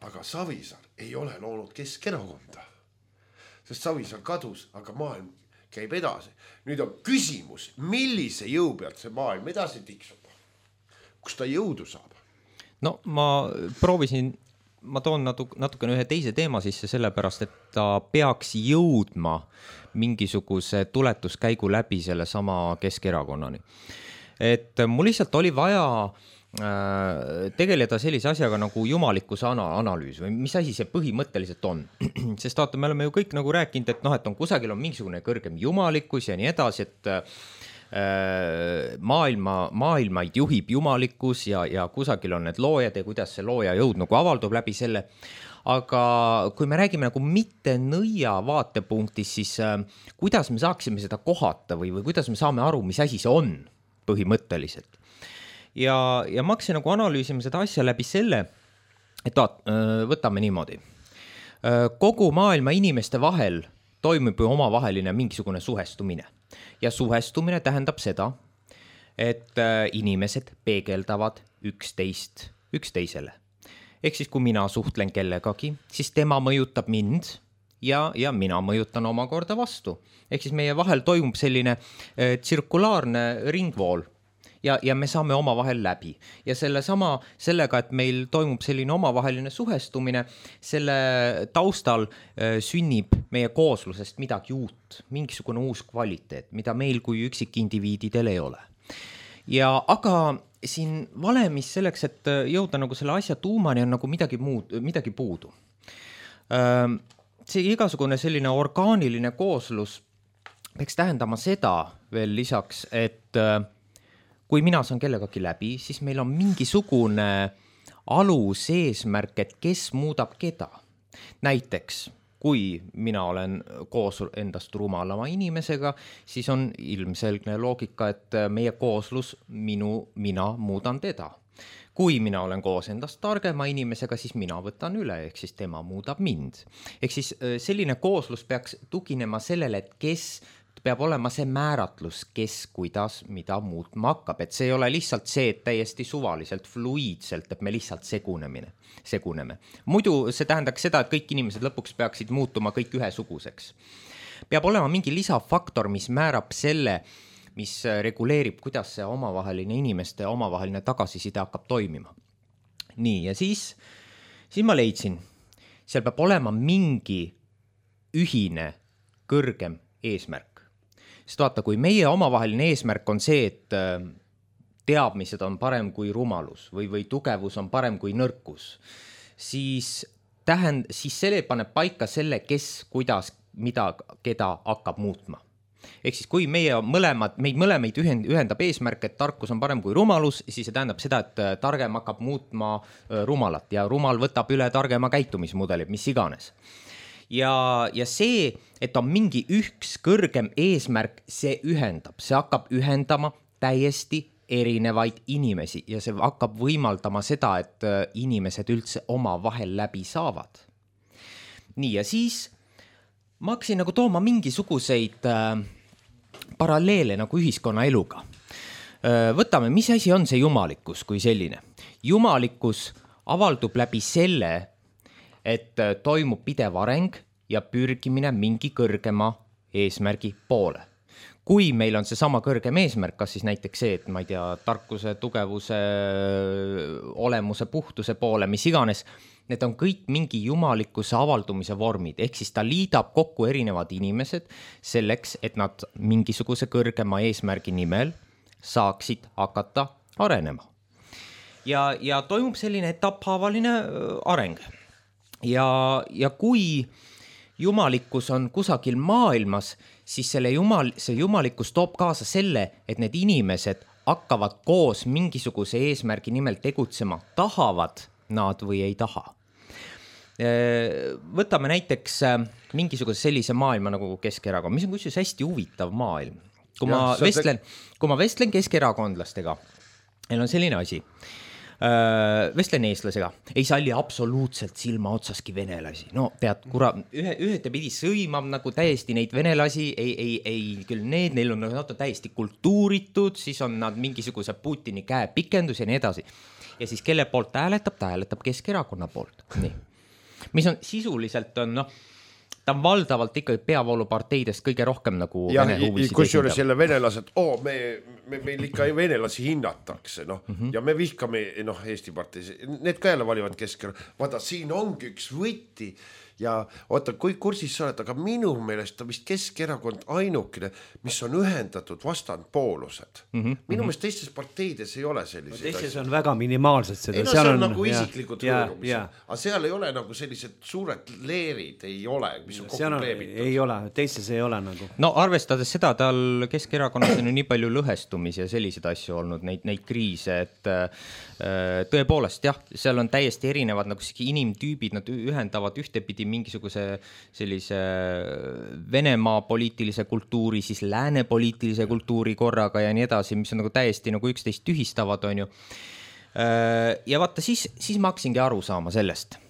Speaker 3: Aga Savisaar ei ole loonud Keskerakonda. Sest Savisaar kadus, aga maailm käib edasi. Nüüd on küsimus, millise jõu pealt see maailm edasi tiksub? Kus ta jõudu saab?
Speaker 2: No ma toon natukene ühe teise teema sisse sellepärast, et ta peaks jõudma mingisuguse tuletuskäigu läbi selle sama Keskerakonnani. Et mul lihtsalt oli vaja tegeleda sellise asjaga nagu jumalikkuse analüüs või mis asi see põhimõtteliselt on. Sest vaata, me oleme ju kõik nagu rääkinud, et et on kusagil on mingisugune kõrgem jumalikkus ja nii edasi, et maailmaid juhib jumalikkus ja kusagil on need loojad ja kuidas see looja jõud nagu avaldub läbi selle. Aga kui me räägime nagu mitte nõia vaatepunktis, siis kuidas me saaksime seda kohata või kuidas me saame aru, mis asi see on põhimõtteliselt. Ja ma hakkasin nagu analüüsima seda asja läbi selle, et võtame niimoodi. Kogu maailma inimeste vahel toimub ju omavaheline mingisugune suhestumine. Ja suhestumine tähendab seda, et inimesed peegeldavad üksteisele. Ehk siis, kui mina suhtlen kellegagi, siis tema mõjutab mind ja mina mõjutan omakorda vastu. Ehk siis meie vahel toimub selline tsirkulaarne ringvool. Ja me saame omavahel läbi. Ja sellega, et meil toimub selline omavaheline suhestumine, selle taustal sünnib meie kooslusest midagi uut, mingisugune uus kvaliteet, mida meil kui üksikindiviididel ei ole. Aga siin valemis selleks, et jõuda nagu selle asja tuumani, on nagu midagi puudu. See igasugune selline orgaaniline kooslus peaks tähendama seda veel lisaks, et kui mina saan kellegagi läbi, siis meil on mingisugune alus eesmärk, et kes muudab keda. Näiteks, kui mina olen koos endast rumalama inimesega, siis on ilmselgne loogika, et meie kooslus mina muudan teda. Kui mina olen koos endast targema inimesega, siis mina võtan üle, ehk siis tema muudab mind. Ehk siis selline kooslus peaks tuginema sellele, et kes peab olema see määratlus, kes, kuidas, mida muutma hakkab. Et see ei ole lihtsalt see, et täiesti suvaliselt, fluiidselt, et me lihtsalt seguneme. Muidu see tähendaks seda, et kõik inimesed lõpuks peaksid muutuma kõik ühesuguseks. Peab olema mingi lisafaktor, mis määrab selle, mis reguleerib, kuidas see inimeste omavaheline tagasiside hakkab toimima. Nii, ja siis ma leidsin, seal peab olema mingi ühine kõrgem eesmärk. Sest vaata, kui meie omavaheline eesmärk on see, et teadmised on parem kui rumalus või tugevus on parem kui nõrkus, siis selle paneb paika selle, kes, kuidas, mida, keda hakkab muutma. Ehk siis kui meid mõlemaid ühendab eesmärk, et tarkus on parem kui rumalus, siis see tähendab seda, et targem hakkab muutma rumalat ja rumal võtab üle targema käitumismudelid, mis iganes. Ja see, et on mingi üks kõrgem eesmärk, see hakkab ühendama täiesti erinevaid inimesi ja see hakkab võimaldama seda, et inimesed üldse oma vahel läbi saavad. Nii, ja siis ma hakkasin nagu tooma mingisuguseid paralleele nagu ühiskonna eluga. Võtame, mis asi on see jumalikkus kui selline? Jumalikkus avaldub läbi selle, et toimub pidev areng ja pürgimine mingi kõrgema eesmärgi poole. Kui meil on see sama kõrgem eesmärk, kas siis näiteks see, et ma ei tea, tarkuse, tugevuse, olemuse, puhtuse poole, mis iganes, need on kõik mingi jumalikkuse avaldumise vormid, ehk siis ta liidab kokku erinevad inimesed selleks, et nad mingisuguse kõrgema eesmärgi nimel saaksid hakata arenema. ja toimub selline etapphaavaline areng. Ja kui jumalikkus on kusagil maailmas, siis see jumalikkus toob kaasa selle, et need inimesed hakkavad koos mingisuguse eesmärgi nimel tegutsema, tahavad nad või ei taha. Võtame näiteks mingisuguse sellise maailma nagu Keskerakond, mis on kusjuures hästi huvitav maailm. Kui ma vestlen keskerakondlastega, neil on selline asi, vestlen eestlasega, ei salli absoluutselt silma otsaski venelasi. No tead, ühtepidi sõimab nagu täiesti neid venelasi, ei küll neil on täiesti kultuuritud, siis on nad mingisuguse Putini käepikendus ja nii edasi. Ja siis kelle poolt ta hääletab Keskerakonna poolt. Nii. Mis on sisuliselt ta on valdavalt ikkagi peavooluparteidest kõige rohkem nagu vene huvisid.
Speaker 3: Kusjuures jälle venelased, meil ikka venelasi hinnatakse, ja me vihkame Eesti parteis, need ka jälle valivad Keskerakonna. Vaata, siin ongi üks võti ja oota, kui kursis sa oled, aga minu meelest on vist Keskerakond ainukene, mis on ühendatud vastandpoolused. Minu meelest teistes parteides ei ole sellised.
Speaker 1: Teistes on väga minimaalsed seda.
Speaker 3: See on nagu isiklikud hõõrumised, aga seal ei ole nagu sellised suured leerid, ei ole, mis on kokku kleebitud.
Speaker 1: Ei ole, teistes ei ole nagu.
Speaker 2: No arvestades seda, tal Keskerakonnas on ju nii palju lõhestumisi ja selliseid asju olnud, neid kriise, et tõepoolest jah, seal on täiesti erinevad nagu inimtüübid, nad ühendavad ühtepidi mingisuguse sellise Venemaa poliitilise kultuuri, siis lääne poliitilise kultuuri korraga ja nii edasi, mis on nagu täiesti nagu üksteist tühistavad, on ju. Ja vaata, siis ma hakkasingi aru saama sellest.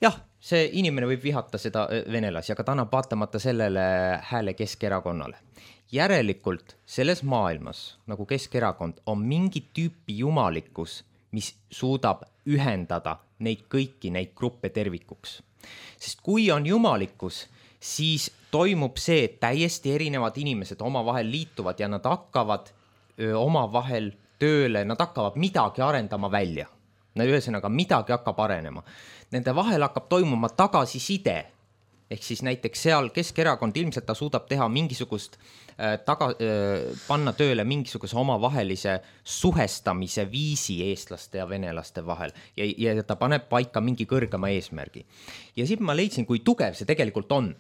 Speaker 2: Jah, see inimene võib vihata seda venelasi, aga ta annab vaatamata sellele hääle Keskerakonnale. Järelikult selles maailmas, nagu Keskerakond, on mingi tüüpi jumalikkus, mis suudab ühendada neid kõiki neid gruppe tervikuks. Sest kui on jumalikkus, siis toimub see, et täiesti erinevad inimesed omavahel liituvad ja nad hakkavad omavahel tööle, nad hakkavad midagi arendama välja. Ühesõnaga, midagi hakkab arenema. Nende vahel hakkab toimuma tagasiside. Ehk siis näiteks seal Keskerakond ilmselt ta suudab teha mingisugust panna tööle mingisuguse omavahelise suhestamise viisi eestlaste ja venelaste vahel ja ta paneb paika mingi kõrgema eesmärgi. Ja siis ma leidsin, kui tugev see tegelikult on.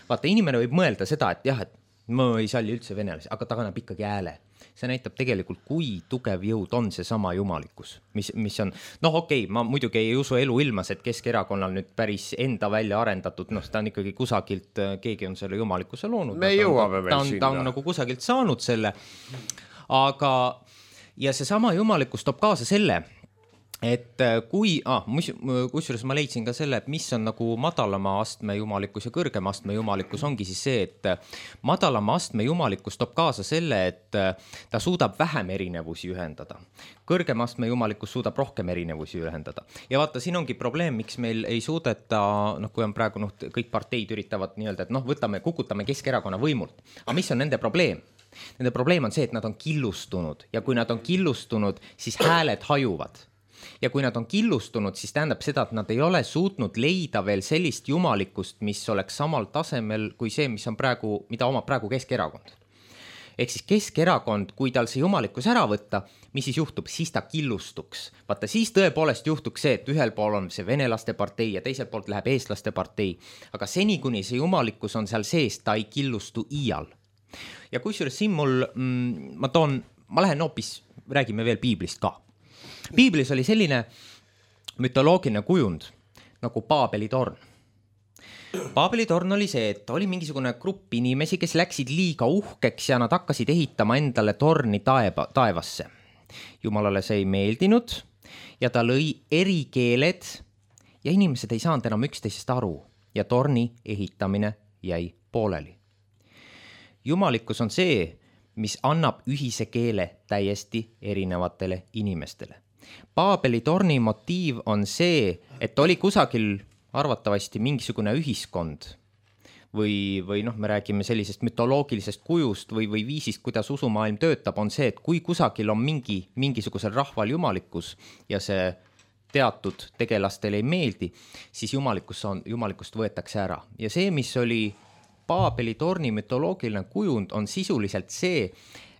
Speaker 2: Vaata, inimene võib mõelda seda, et jah, et ma ei salli üldse venelasi, aga ta kannab ikkagi hääle. See näitab tegelikult, kui tugev jõud on see sama jumalikkus, mis on, ma muidugi ei usu elu ilmas, et Keskerakonnal nüüd päris enda välja arendatud, ta on ikkagi kusagilt, keegi on selle jumalikkuse loonud.
Speaker 3: Me jõuame veel sinna.
Speaker 2: Ta on nagu kusagilt saanud selle, aga ja see sama jumalikkus toob kaasa selle, et kusjuures ma leidsin ka selle, et mis on nagu madalama astme jumalikkus ja kõrgema astme jumalikkus ongi siis see, et madalama astme jumalikkus toob kaasa selle, et ta suudab vähem erinevusi ühendada. Kõrgema astme jumalikkus suudab rohkem erinevusi ühendada. Ja vaata, siin ongi probleem, miks meil ei suudeta, kui on praegu kõik parteid üritavad nii-öelda, et kukutame Keskerakonna võimult. Aga mis on nende probleem? Nende probleem on see, et nad on killustunud ja kui nad on killustunud, siis hääled hajuvad. Ja kui nad on killustunud, siis tähendab seda, et nad ei ole suutnud leida veel sellist jumalikkust, mis oleks samal tasemel kui see, mida omab praegu Keskerakond. Ehk siis Keskerakond, kui tal see jumalikkus ära võtta, mis siis juhtub? Siis ta killustuks. Vaata, siis tõepoolest juhtuks see, et ühel pool on see venelaste partei ja teisel poolt läheb eestlaste partei. Aga seni, kuni see jumalikkus on seal sees, ta ei killustu iial. Ja kusjuures siin ma lähen hoopis, räägime veel piiblist ka. Piiblis oli selline mütoloogiline kujund nagu Paabeli torn. Paabeli torn oli see, et oli mingisugune grupp inimesi, kes läksid liiga uhkeks ja nad hakkasid ehitama endale torni taevasse. Jumalale see ei meeldinud ja ta lõi eri keeled ja inimesed ei saanud enam üksteisest aru ja torni ehitamine jäi pooleli. Jumalikkus on see, mis annab ühise keele täiesti erinevatele inimestele. Paabeli torni motiiv on see, et oli kusagil arvatavasti mingisugune ühiskond või me räägime sellisest mütoloogilisest kujust või viisist, kuidas usumaailm töötab, on see, et kui kusagil on mingisugusel rahval jumalikkus ja see teatud tegelastele ei meeldi, siis jumalikkust võetakse ära. Ja see, mis oli Paabeli torni mütoloogiline kujund, on sisuliselt see,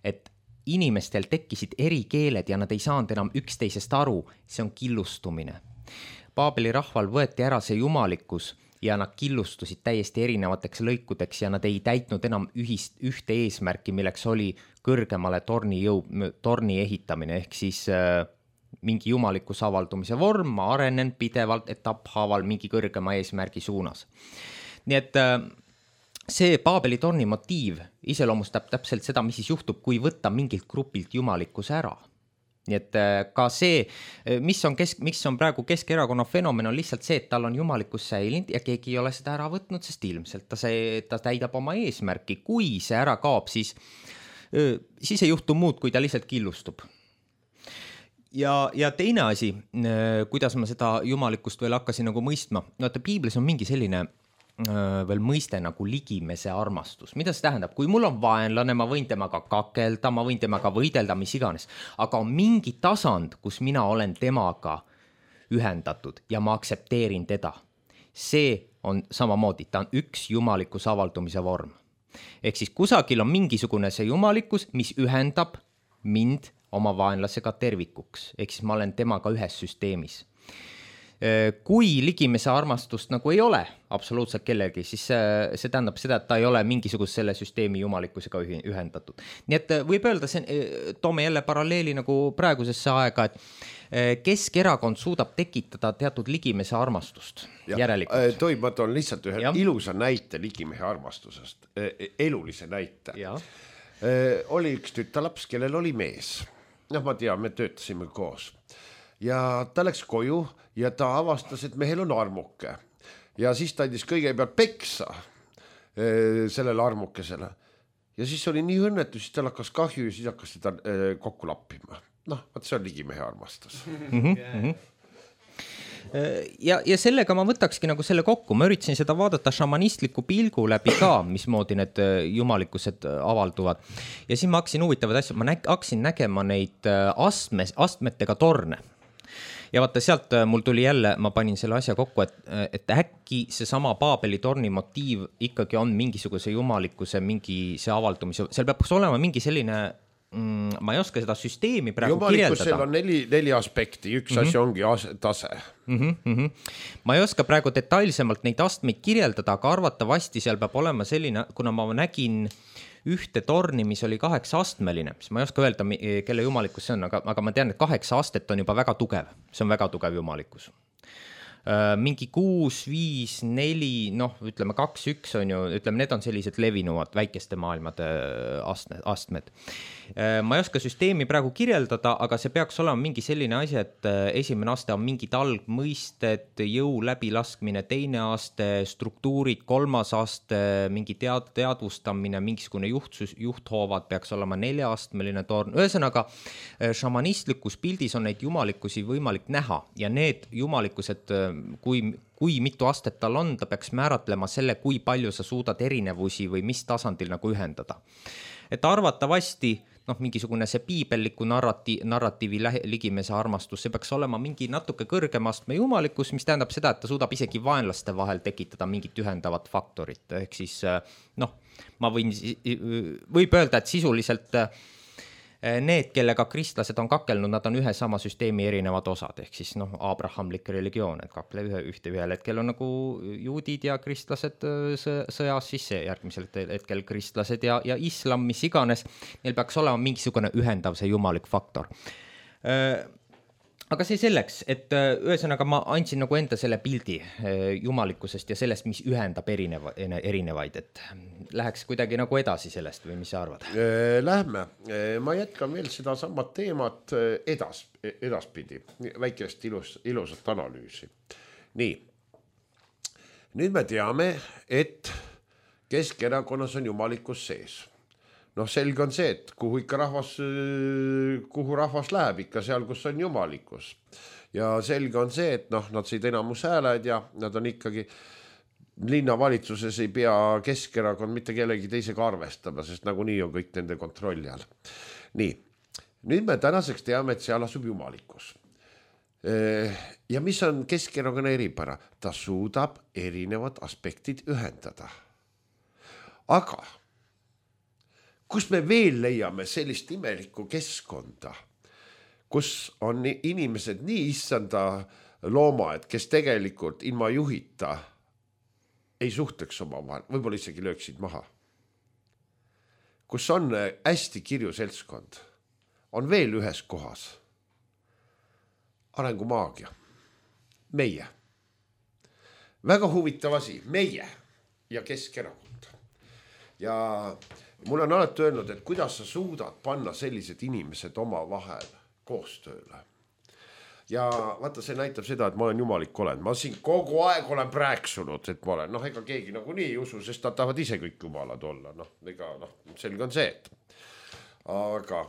Speaker 2: et inimestel tekkisid eri keeled ja nad ei saanud enam üksteisest aru, see on killustumine. Paabeli rahval võeti ära see jumalikkus ja nad killustusid täiesti erinevateks lõikudeks ja nad ei täitnud enam ühte eesmärki, milleks oli kõrgemale torni ehitamine, ehk siis mingi jumalikkuse avaldumise vorm, ma arenen pidevalt etapphaaval mingi kõrgema eesmärgi suunas. Nii et see Paabeli torni motiiv iseloomustab täpselt seda, mis siis juhtub, kui võtta mingilt grupilt jumalikkuse ära. Nii et ka see, mis on praegu Keskerakonna fenomen, on lihtsalt see, et tal on jumalikkus säilinud ja keegi ei ole seda ära võtnud, sest ilmselt ta täidab oma eesmärki. Kui see ära kaob, siis ei juhtu muud, kui ta lihtsalt killustub. Ja teine asi, kuidas ma seda jumalikkust veel hakkasin nagu mõistma, no et piiblis on mingi selline veel mõiste nagu ligimese armastus. Mida see tähendab? Kui mul on vaenlane, ma võin temaga kakelda, ma võin temaga võidelda, mis iganes, aga on mingi tasand, kus mina olen temaga ühendatud ja ma aktsepteerin teda. See on samamoodi, ta on üks jumalikkuse avaldumise vorm. Ehk siis kusagil on mingisugune see jumalikkus, mis ühendab mind oma vaenlasega tervikuks. Ehk siis ma olen temaga ühes süsteemis. Kui ligimese armastust nagu ei ole absoluutselt kellelgi, siis see tähendab seda, et ta ei ole mingisugust selle süsteemi jumalikkusega ühendatud. Nii et võib öelda, toome jälle paralleeli nagu praegusesse aega, et Keskerakond suudab tekitada teatud ligimese armastust järelikult.
Speaker 3: Ma toon lihtsalt ühe ilusa näite ligimehe armastusest, elulise näite. Oli üks tütalaps, kellel oli mees. Ma tean, me töötasime koos. Ja ta läks koju ja ta avastas, et mehel on armuke. Ja siis ta andis kõigepealt peksa sellele armukesele. Ja siis oli nii õnnetu, siis tal hakkas kahju ja siis hakkas seda kokku lappima. See on ligimehe armastus.
Speaker 2: Ja sellega ma võtakski nagu selle kokku. Ma üritasin seda vaadata šamanistliku pilgu läbi ka, mismoodi need jumalikkused avalduvad. Ja siis ma hakkasin huvitavad asju, ma hakkasin nägema neid astmetega torne. Ja vaata, sealt mul tuli jälle, ma panin selle asja kokku, et äkki see sama Paabeli torni motiiv ikkagi on mingisuguse jumalikkuse, mingi see avaldumise, seal peab olema mingi selline, ma ei oska seda süsteemi praegu kirjeldada.
Speaker 3: Jumalikkusel on neli aspekti, üks asi ongi tase.
Speaker 2: Ma ei oska praegu detailsemalt neid astmeid kirjeldada, aga arvatavasti seal peab olema selline, kuna ma nägin ühte torni, mis oli 8-astmeline, siis ma ei oska öelda, kelle jumalikkus see on, aga ma tean, et 8 astet on juba väga tugev. See on väga tugev jumalikkus. Mingi 6, 5, 4, ütleme 2, 1 on ju, ütleme, need on sellised levinuvad väikeste maailmade astmed. Ma ei oska süsteemi praegu kirjeldada, aga see peaks olema mingi selline asi, et esimene aste on mingid algmõisted, jõu läbilaskmine, teine aste, struktuurid, 3. aste, mingi teadvustamine, mingisugune juhthoovad peaks olema 4-astmeline torn. Ühesõnaga, šamanistlikus pildis on neid jumalikkusi võimalik näha ja need jumalikkused, kui mitu astet tal on, ta peaks määratlema selle, kui palju sa suudad erinevusi või mis tasandil nagu ühendada. Et arvatavasti mingisugune see piibelliku narratiivi ligimese armastus, see peaks olema mingi natuke kõrgema astme jumalikkus, mis tähendab seda, et ta suudab isegi vaenlaste vahel tekitada mingit ühendavat faktorit. Ehk siis, võib öelda, et sisuliselt need, kellega kristlased on kakelnud, nad on ühe sama süsteemi erinevad osad, ehk siis abrahamlik religioon, et kakle ühel hetkel on nagu juudid ja kristlased sõjas, siis järgmisel hetkel kristlased ja islam, mis iganes, neil peaks olema mingisugune ühendav see jumalik faktor. Aga see selleks, et ühesõnaga ma andsin nagu enda selle pildi jumalikkusest ja sellest, mis ühendab erinevaid, et läheks kuidagi nagu edasi sellest või mis sa arvad?
Speaker 3: Lähme, ma jätkan veel seda samat teemat edaspidi, väikest ilusat analüüsi. Nii, nüüd me teame, et Keskerakonnas on jumalikkus sees. Selge on see, et kuhu rahvas läheb ikka seal, kus on jumalikkus. Ja selge on see, et nad said enamus hääled ja nad on ikkagi linnavalitsuses ei pea Keskerakond mitte kellegi teisega arvestama, sest nagunii on kõik nende kontrolli all. Nii, nüüd me tänaseks teame, et seal asub jumalikkus. Ja mis on Keskerakonna eripära? Ta suudab erinevad aspektid ühendada. Aga kus me veel leiame sellist imelikku keskkonda, kus on inimesed nii issanda loomad, kes tegelikult ilma juhita ei suhteks oma vahel, võib-olla isegi lööksid maha. Kus on hästi kirju seltskond, on veel ühes kohas. Arengumaagia. Meie. Väga huvitav asi, meie ja Keskerakond. Ja mul on alati öelnud, et kuidas sa suudad panna sellised inimesed oma vahel koostööle. Ja vaata, see näitab seda, et ma olen jumalik olend. Ma siin kogu aeg olen rääksunud, et ma olen, ega keegi nagu nii ei usu, sest nad tahavad ise kõik jumalad olla. Selge on see, et. Aga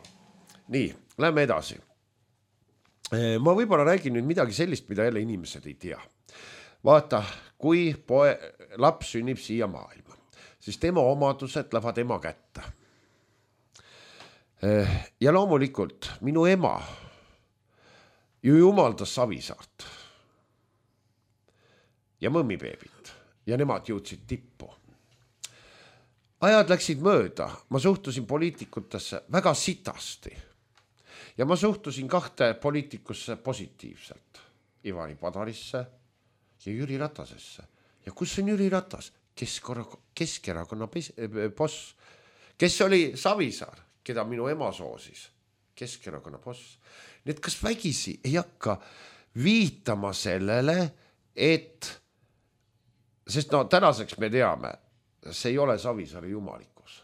Speaker 3: nii, lähme edasi. Ma võib-olla räägin nüüd midagi sellist, mida jälle inimesed ei tea. Vaata, kui laps sünnib siia maailma, siis tema omadused lähevad ema kätte. Ja loomulikult minu ema ju jumaldas Savisaart ja mõmmibeebit ja nemad jõudsid tippu. Ajad läksid mööda, ma suhtusin poliitikutesse väga sitasti ja ma suhtusin kahte poliitikusse positiivselt, Ivari Padarisse ja Jüri Ratasesse. Ja kus on Jüri Ratas? Keskerakonna boss, kes oli Savisaar, keda minu ema soosis, Keskerakonna boss. Need kas vägisi ei hakka viitama sellele, et, sest tänaseks me teame, see ei ole Savisaare jumalikkus,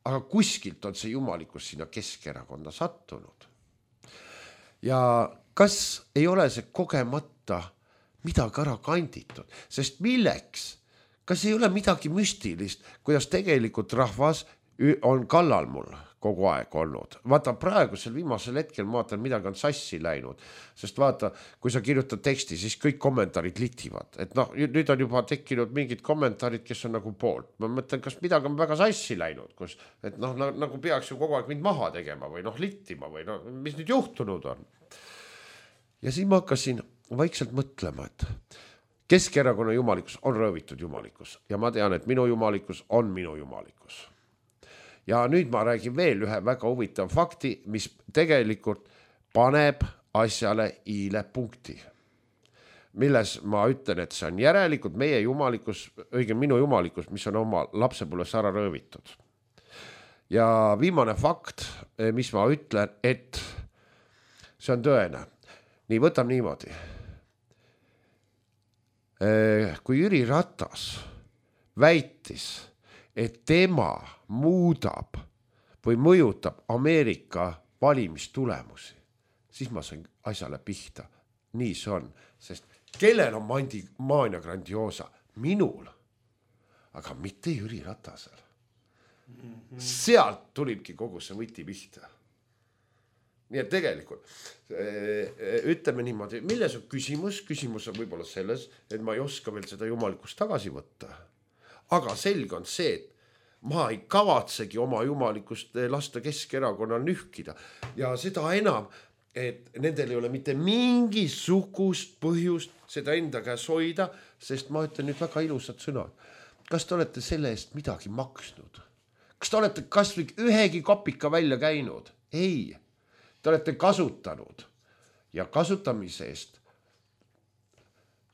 Speaker 3: aga kuskilt on see jumalikkus sinna Keskerakonda sattunud. Ja kas ei ole see kogemata midagi ära kanditud, sest milleks, kas ei ole midagi müstilist, kuidas tegelikult rahvas on kallal mul kogu aeg olnud. Vaata, praegusel viimasel hetkel ma vaatan, midagi on sassi läinud, sest vaata, kui sa kirjutad teksti, siis kõik kommentaarid litivad, et nüüd on juba tekkinud mingid kommentaarid, kes on nagu poolt. Ma mõtlen, kas midagi on väga sassi läinud, kus, et nagu peaks ju kogu aeg mind maha tegema või littima või mis nüüd juhtunud on. Ja siis ma hakkasin vaikselt mõtlema, et Keskerakonna jumalikkus on röövitud jumalikkus ja ma tean, et minu jumalikkus on minu jumalikkus. Ja nüüd ma räägin veel ühe väga huvitav fakti, mis tegelikult paneb asjale iile punkti. Milles ma ütlen, et see on järelikult meie jumalikkus, õige minu jumalikkus, mis on oma lapsepõlves ära röövitud. Ja viimane fakt, mis ma ütlen, et see on tõene. Nii, võtam niimoodi. Kui Jüri Ratas väitis, et tema muudab või mõjutab Ameerika valimistulemusi, siis ma sain asjale pihta. Nii see on, sest kellel on Mania Grandiosa? Minul, aga mitte Jüri Ratasel. Sealt tulibki kogu see võti pihta. Nii et tegelikult, ütleme niimoodi, milles on küsimus? Küsimus on võib-olla selles, et ma ei oska veel seda jumalikust tagasi võtta. Aga selge on see, et ma ei kavatsegi oma jumalikust lasta Keskerakonnal nühkida. Ja seda enam, et nendel ei ole mitte mingisugust põhjust seda enda käes hoida, sest ma ütlen nüüd väga ilusad sõnad. Kas te olete selle eest midagi maksnud? Kas te olete kas või ühegi kopika välja käinud? Ei, te olete kasutanud ja kasutamise eest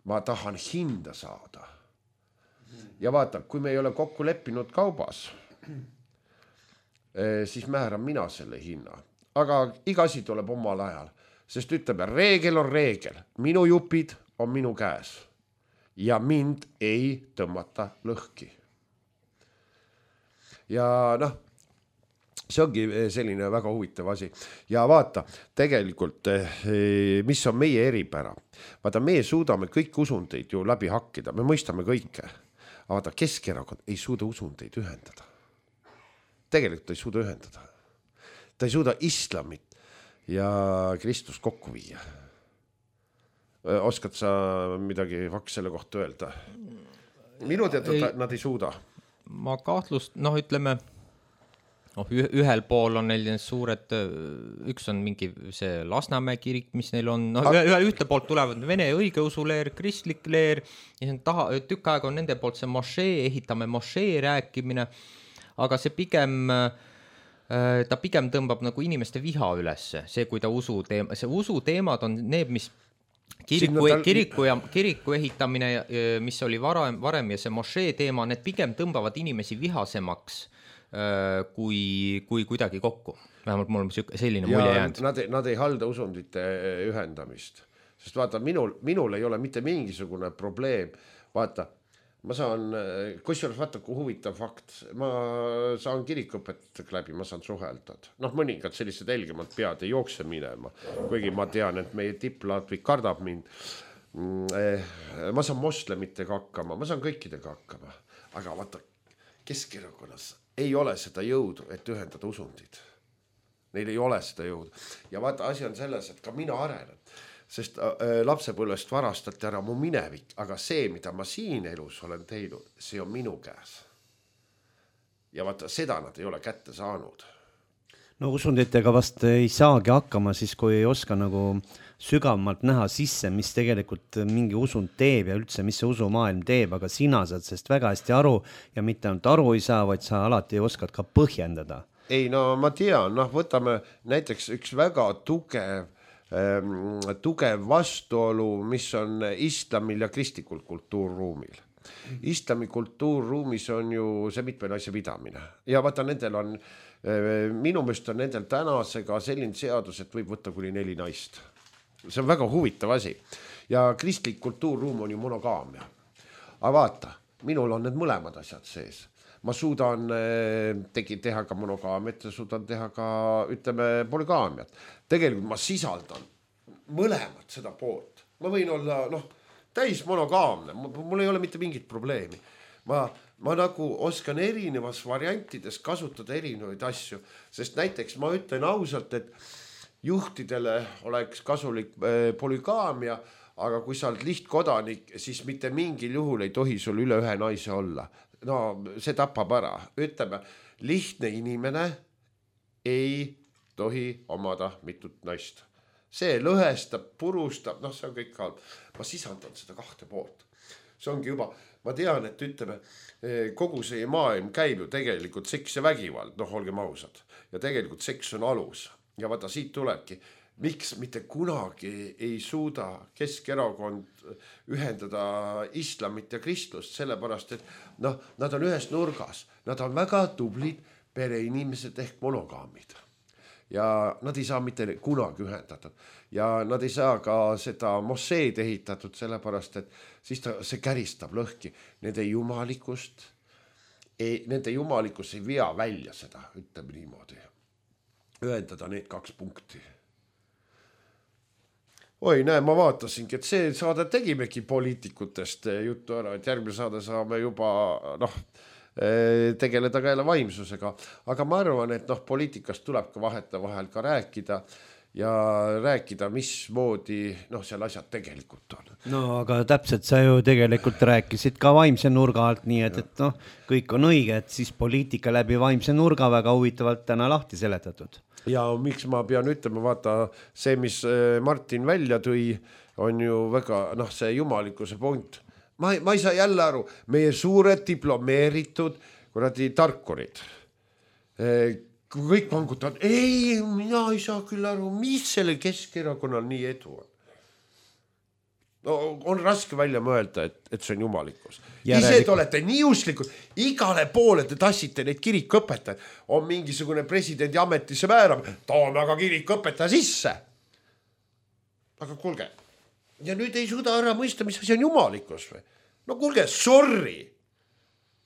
Speaker 3: ma tahan hinda saada. Ja vaata, kui me ei ole kokku leppinud kaubas, siis määran mina selle hinna. Aga iga asi tuleb omal ajal, sest ütleme, reegel on reegel. Minu jupid on minu käes ja mind ei tõmmata lõhki. Ja see ongi selline väga huvitav asi. Ja vaata, tegelikult, mis on meie eripära. Vaata, meie suudame kõik usundeid ju läbi hakkida, me mõistame kõike. Aga vaata, Keskerakond ei suuda usundeid ühendada. Tegelikult ta ei suuda ühendada. Ta ei suuda islamit ja Kristus kokku viia. Oskad sa midagi selle kohta öelda? Minu teada nad ei suuda.
Speaker 2: Ma kahtlust, ütleme, ühel pool on neil suured, üks on mingi see Lasnamäe kirik, mis neil on, ühte poolt tulevad vene õigeusu leer, kristlik leer, ja tükk aega on nende poolt see mošee, ehitame mošee rääkimine, aga see pigem ta pigem tõmbab nagu inimeste viha ülesse, see, kui ta usuteemad on need, mis kiriku ehitamine, mis oli varem ja see mošee teema, need pigem tõmbavad inimesi vihasemaks kui kuidagi kokku. Vähemalt mul on selline mulje jäänud.
Speaker 3: Nad ei halda usundite ühendamist, sest vaata, minul ei ole mitte mingisugune probleem, vaata, ma saan, kusjuures vaata, kui huvitav fakt, ma saan kirikuõpetajatega läbi, ma saan suheldada. Mõningad sellised helgemad pead ei jookse minema, kuigi ma tean, et meie tippladvik kardab mind. Ma saan moslemitega hakkama, ma saan kõikidega hakkama, aga vaata, Keskerakonnas ei ole seda jõudu, et ühendada usundid. Neil ei ole seda jõudu. Ja vaata, asi on selles, et ka mina arenen. Sest lapsepõlvest varastati ära mu minevik, aga see, mida ma siin elus olen teinud, see on minu käes. Ja vaata, seda nad ei ole kätte saanud.
Speaker 1: No usunditega vast ei saagi hakkama siis, kui ei oska nagu sügavamalt näha sisse, mis tegelikult mingi usund teeb ja üldse, mis see usumaailm teeb, aga sina saad sest väga hästi aru ja mitte ainult aru ei saa, vaid sa alati oskad ka põhjendada.
Speaker 3: Ei, no ma tean, võtame näiteks üks väga tugev vastuolu, mis on islamil ja kristlikul kultuurruumil. Islami kultuurruumis on ju see mitme naise pidamine ja vaata, nendel on, minu meelest on nendel tänasega selline seadus, et võib võtta kuni 4 naist. See on väga huvitav asi ja kristlik kultuurruum on ju monogaamia. Aga vaata, minul on need mõlemad asjad sees. Ma suudan teha ka monogaamiat ja suudan teha ka, ütleme, polygaamiat. Tegelikult ma sisaldan mõlemad seda poolt. Ma võin olla, täis monogaamne, mul ei ole mitte mingit probleemi. Ma nagu oskan erinevas variantides kasutada erinevaid asju, sest näiteks ma ütlen ausalt, et juhtidele oleks kasulik polygaamia, aga kui sa oled lihtkodanik, siis mitte mingil juhul ei tohi sul üle 1 naise olla. No see tapab ära. Ütleme, lihtne inimene ei tohi omada mitut naist. See lõhestab, purustab, see on kõik halb. Ma sisandan seda 2 poolt. See ongi juba, ma tean, et ütleme, kogu see maailm käib ju tegelikult seks ja vägivald, olgem ausad. Ja tegelikult seks on alus. Ja vaata, siit tulebki, miks mitte kunagi ei suuda Keskerakond ühendada islamit ja kristlust, sellepärast, et nad on ühes nurgas. Nad on väga tublid pereinimesed ehk monogaamid. Ja nad ei saa mitte kunagi ühendatud. Ja nad ei saa ka seda mošeed ehitatud, sellepärast, et siis see käristab lõhki. Nende jumalikus ei vea välja seda, ütleme niimoodi. Ühendada need 2 punkti. Oi, näe, ma vaatasingi, et see saade tegimegi poliitikutest juttu ära, et järgmine saade saame juba tegeleda ka jälle vaimsusega. Aga ma arvan, et poliitikast tuleb ka vahel ka rääkida ja rääkida, mismoodi seal asjad tegelikult on.
Speaker 1: No aga täpselt sa ju tegelikult rääkisid ka vaimse nurga alt, nii et kõik on õige, et siis poliitika läbi vaimse nurga väga huvitavalt täna lahti seletatud.
Speaker 3: Ja miks ma pean ütlema, vaata, see, mis Martin välja tõi, on ju väga, see jumalikkuse punkt. Ma ei saa jälle aru, meie suured diplomeeritud tarkurid. Kui kõik vangutavad, ei, mina ei saa küll aru, mis selle Keskerakonnal nii edu on. On raske välja mõelda, et see on jumalikkus. Ise te olete nii usklikud, igale poole te tassite neid kirikuõpetajaid. On mingisugune presidendi ametisse määrab, toome aga kirikuõpetaja sisse. Aga kuulge, ja nüüd ei suuda ära mõista, mis asi on jumalikkus või? No kuulge, sorry.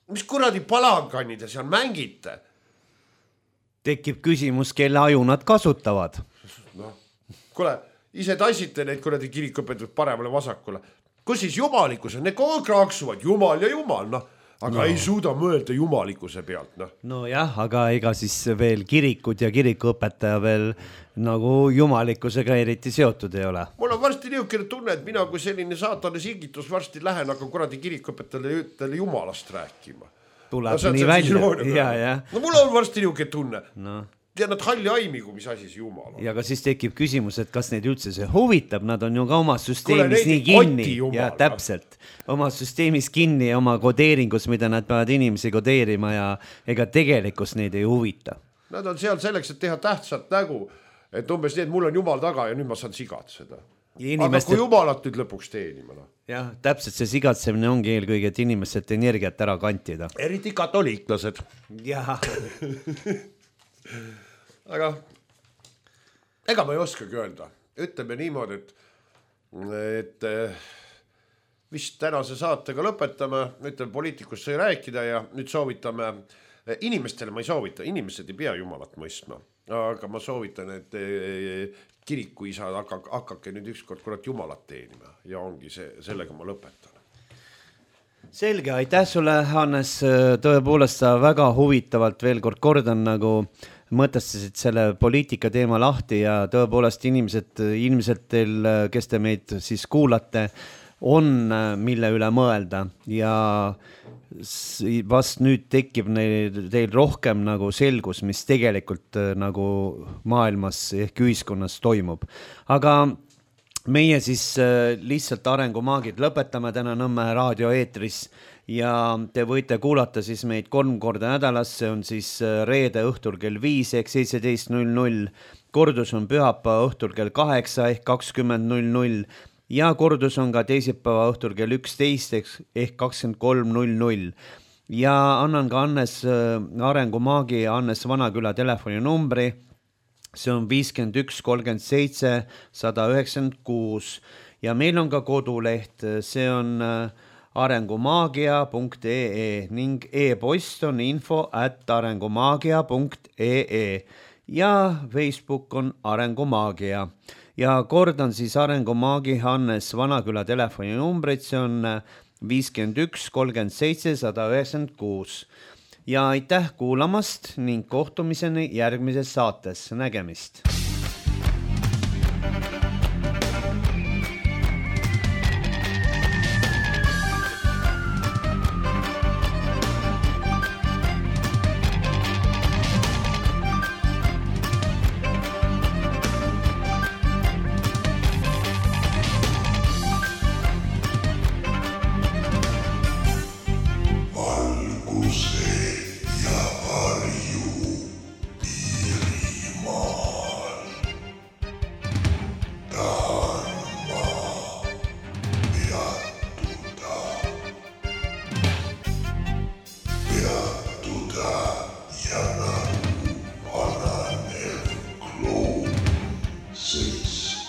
Speaker 3: Mis kuradi palangannide seal mängite?
Speaker 1: Tekib küsimus, kelle aju nad kasutavad.
Speaker 3: Kuule, ise tassite neid kuradi kirikuõpetajaid paremale vasakule. Kus siis jumalikkus on? Need kogu kraaksuvad, jumal ja jumal, aga ei suuda mõelda jumalikkuse pealt.
Speaker 1: No jah, aga ega siis veel kirikud ja kirikuõpetaja veel nagu jumalikkusega eriti seotud ei ole.
Speaker 3: Mul on varsti niisugune tunne, et mina kui selline saatane singitus varsti lähen, aga kuradi kirikuõpetajale jumalast rääkima.
Speaker 1: Tuleb nii välja.
Speaker 3: No mul on varsti niisugune tunne. Ja nad halli aimigu, mis asi see jumal on.
Speaker 1: Ja ka siis tekib küsimus, et kas neid üldse see huvitab, nad on ju ka oma süsteemis nii kinni. Ja täpselt, oma süsteemis kinni ja oma kodeeringus, mida nad peavad inimesi kodeerima ja ega tegelikus neid ei huvita.
Speaker 3: Nad on seal selleks, et teha tähtsat nägu, et umbes nii, et mul on jumal taga ja nüüd ma saan sigatseda. Aga kui jumalat nüüd lõpuks teenima.
Speaker 1: Jah, täpselt see sigatsemine ongi eelkõige, et inimestelt energiat ära kantida.
Speaker 3: Eriti katoliiklased.
Speaker 1: Jah.
Speaker 3: Aga ega ma ei oskagi öelda. Ütleme niimoodi, et vist tänase saatega lõpetame, ütleme poliitikust sai rääkida ja nüüd soovitame, inimestele ma ei soovita, inimesed ei pea jumalat mõistma, aga ma soovitan, et kirikuisad hakkake nüüd ükskord kurat jumalat teenima ja ongi see, sellega ma lõpetan.
Speaker 1: Selge, aitäh sulle, Hannes, tõepoolest sa väga huvitavalt veel kord kordan nagu mõtestasid selle poliitika teema lahti ja tõepoolest inimesed teil, kes te meid siis kuulate, on mille üle mõelda ja vast nüüd tekib teil rohkem nagu selgus, mis tegelikult nagu maailmas ehk ühiskonnas toimub. Aga meie siis lihtsalt arengumaagid lõpetame täna Nõmme raadio eetris ja te võite kuulata siis meid 3 korda nädalas, see on siis reede õhtul kell 5 ehk 17.00, kordus on pühapäeva õhtul kell 8 ehk 20.00 ja kordus on ka teisipäeva õhtul kell 11 ehk 23.00 ja annan ka Hannes arengumaagi ja Hannes Vanaküla telefoninumbri, see on 51 37 196 ja meil on ka koduleht, see on arengumaagia.ee ning e-post on info@arengumaagia.ee ja Facebook on Arengumaagia. Ja kordan siis Arengumaagi Hannes Vanaküla telefoninumbrid, see on 51 37 196. Ja aitäh kuulamast ning kohtumiseni järgmises saates. Nägemist!
Speaker 4: Six,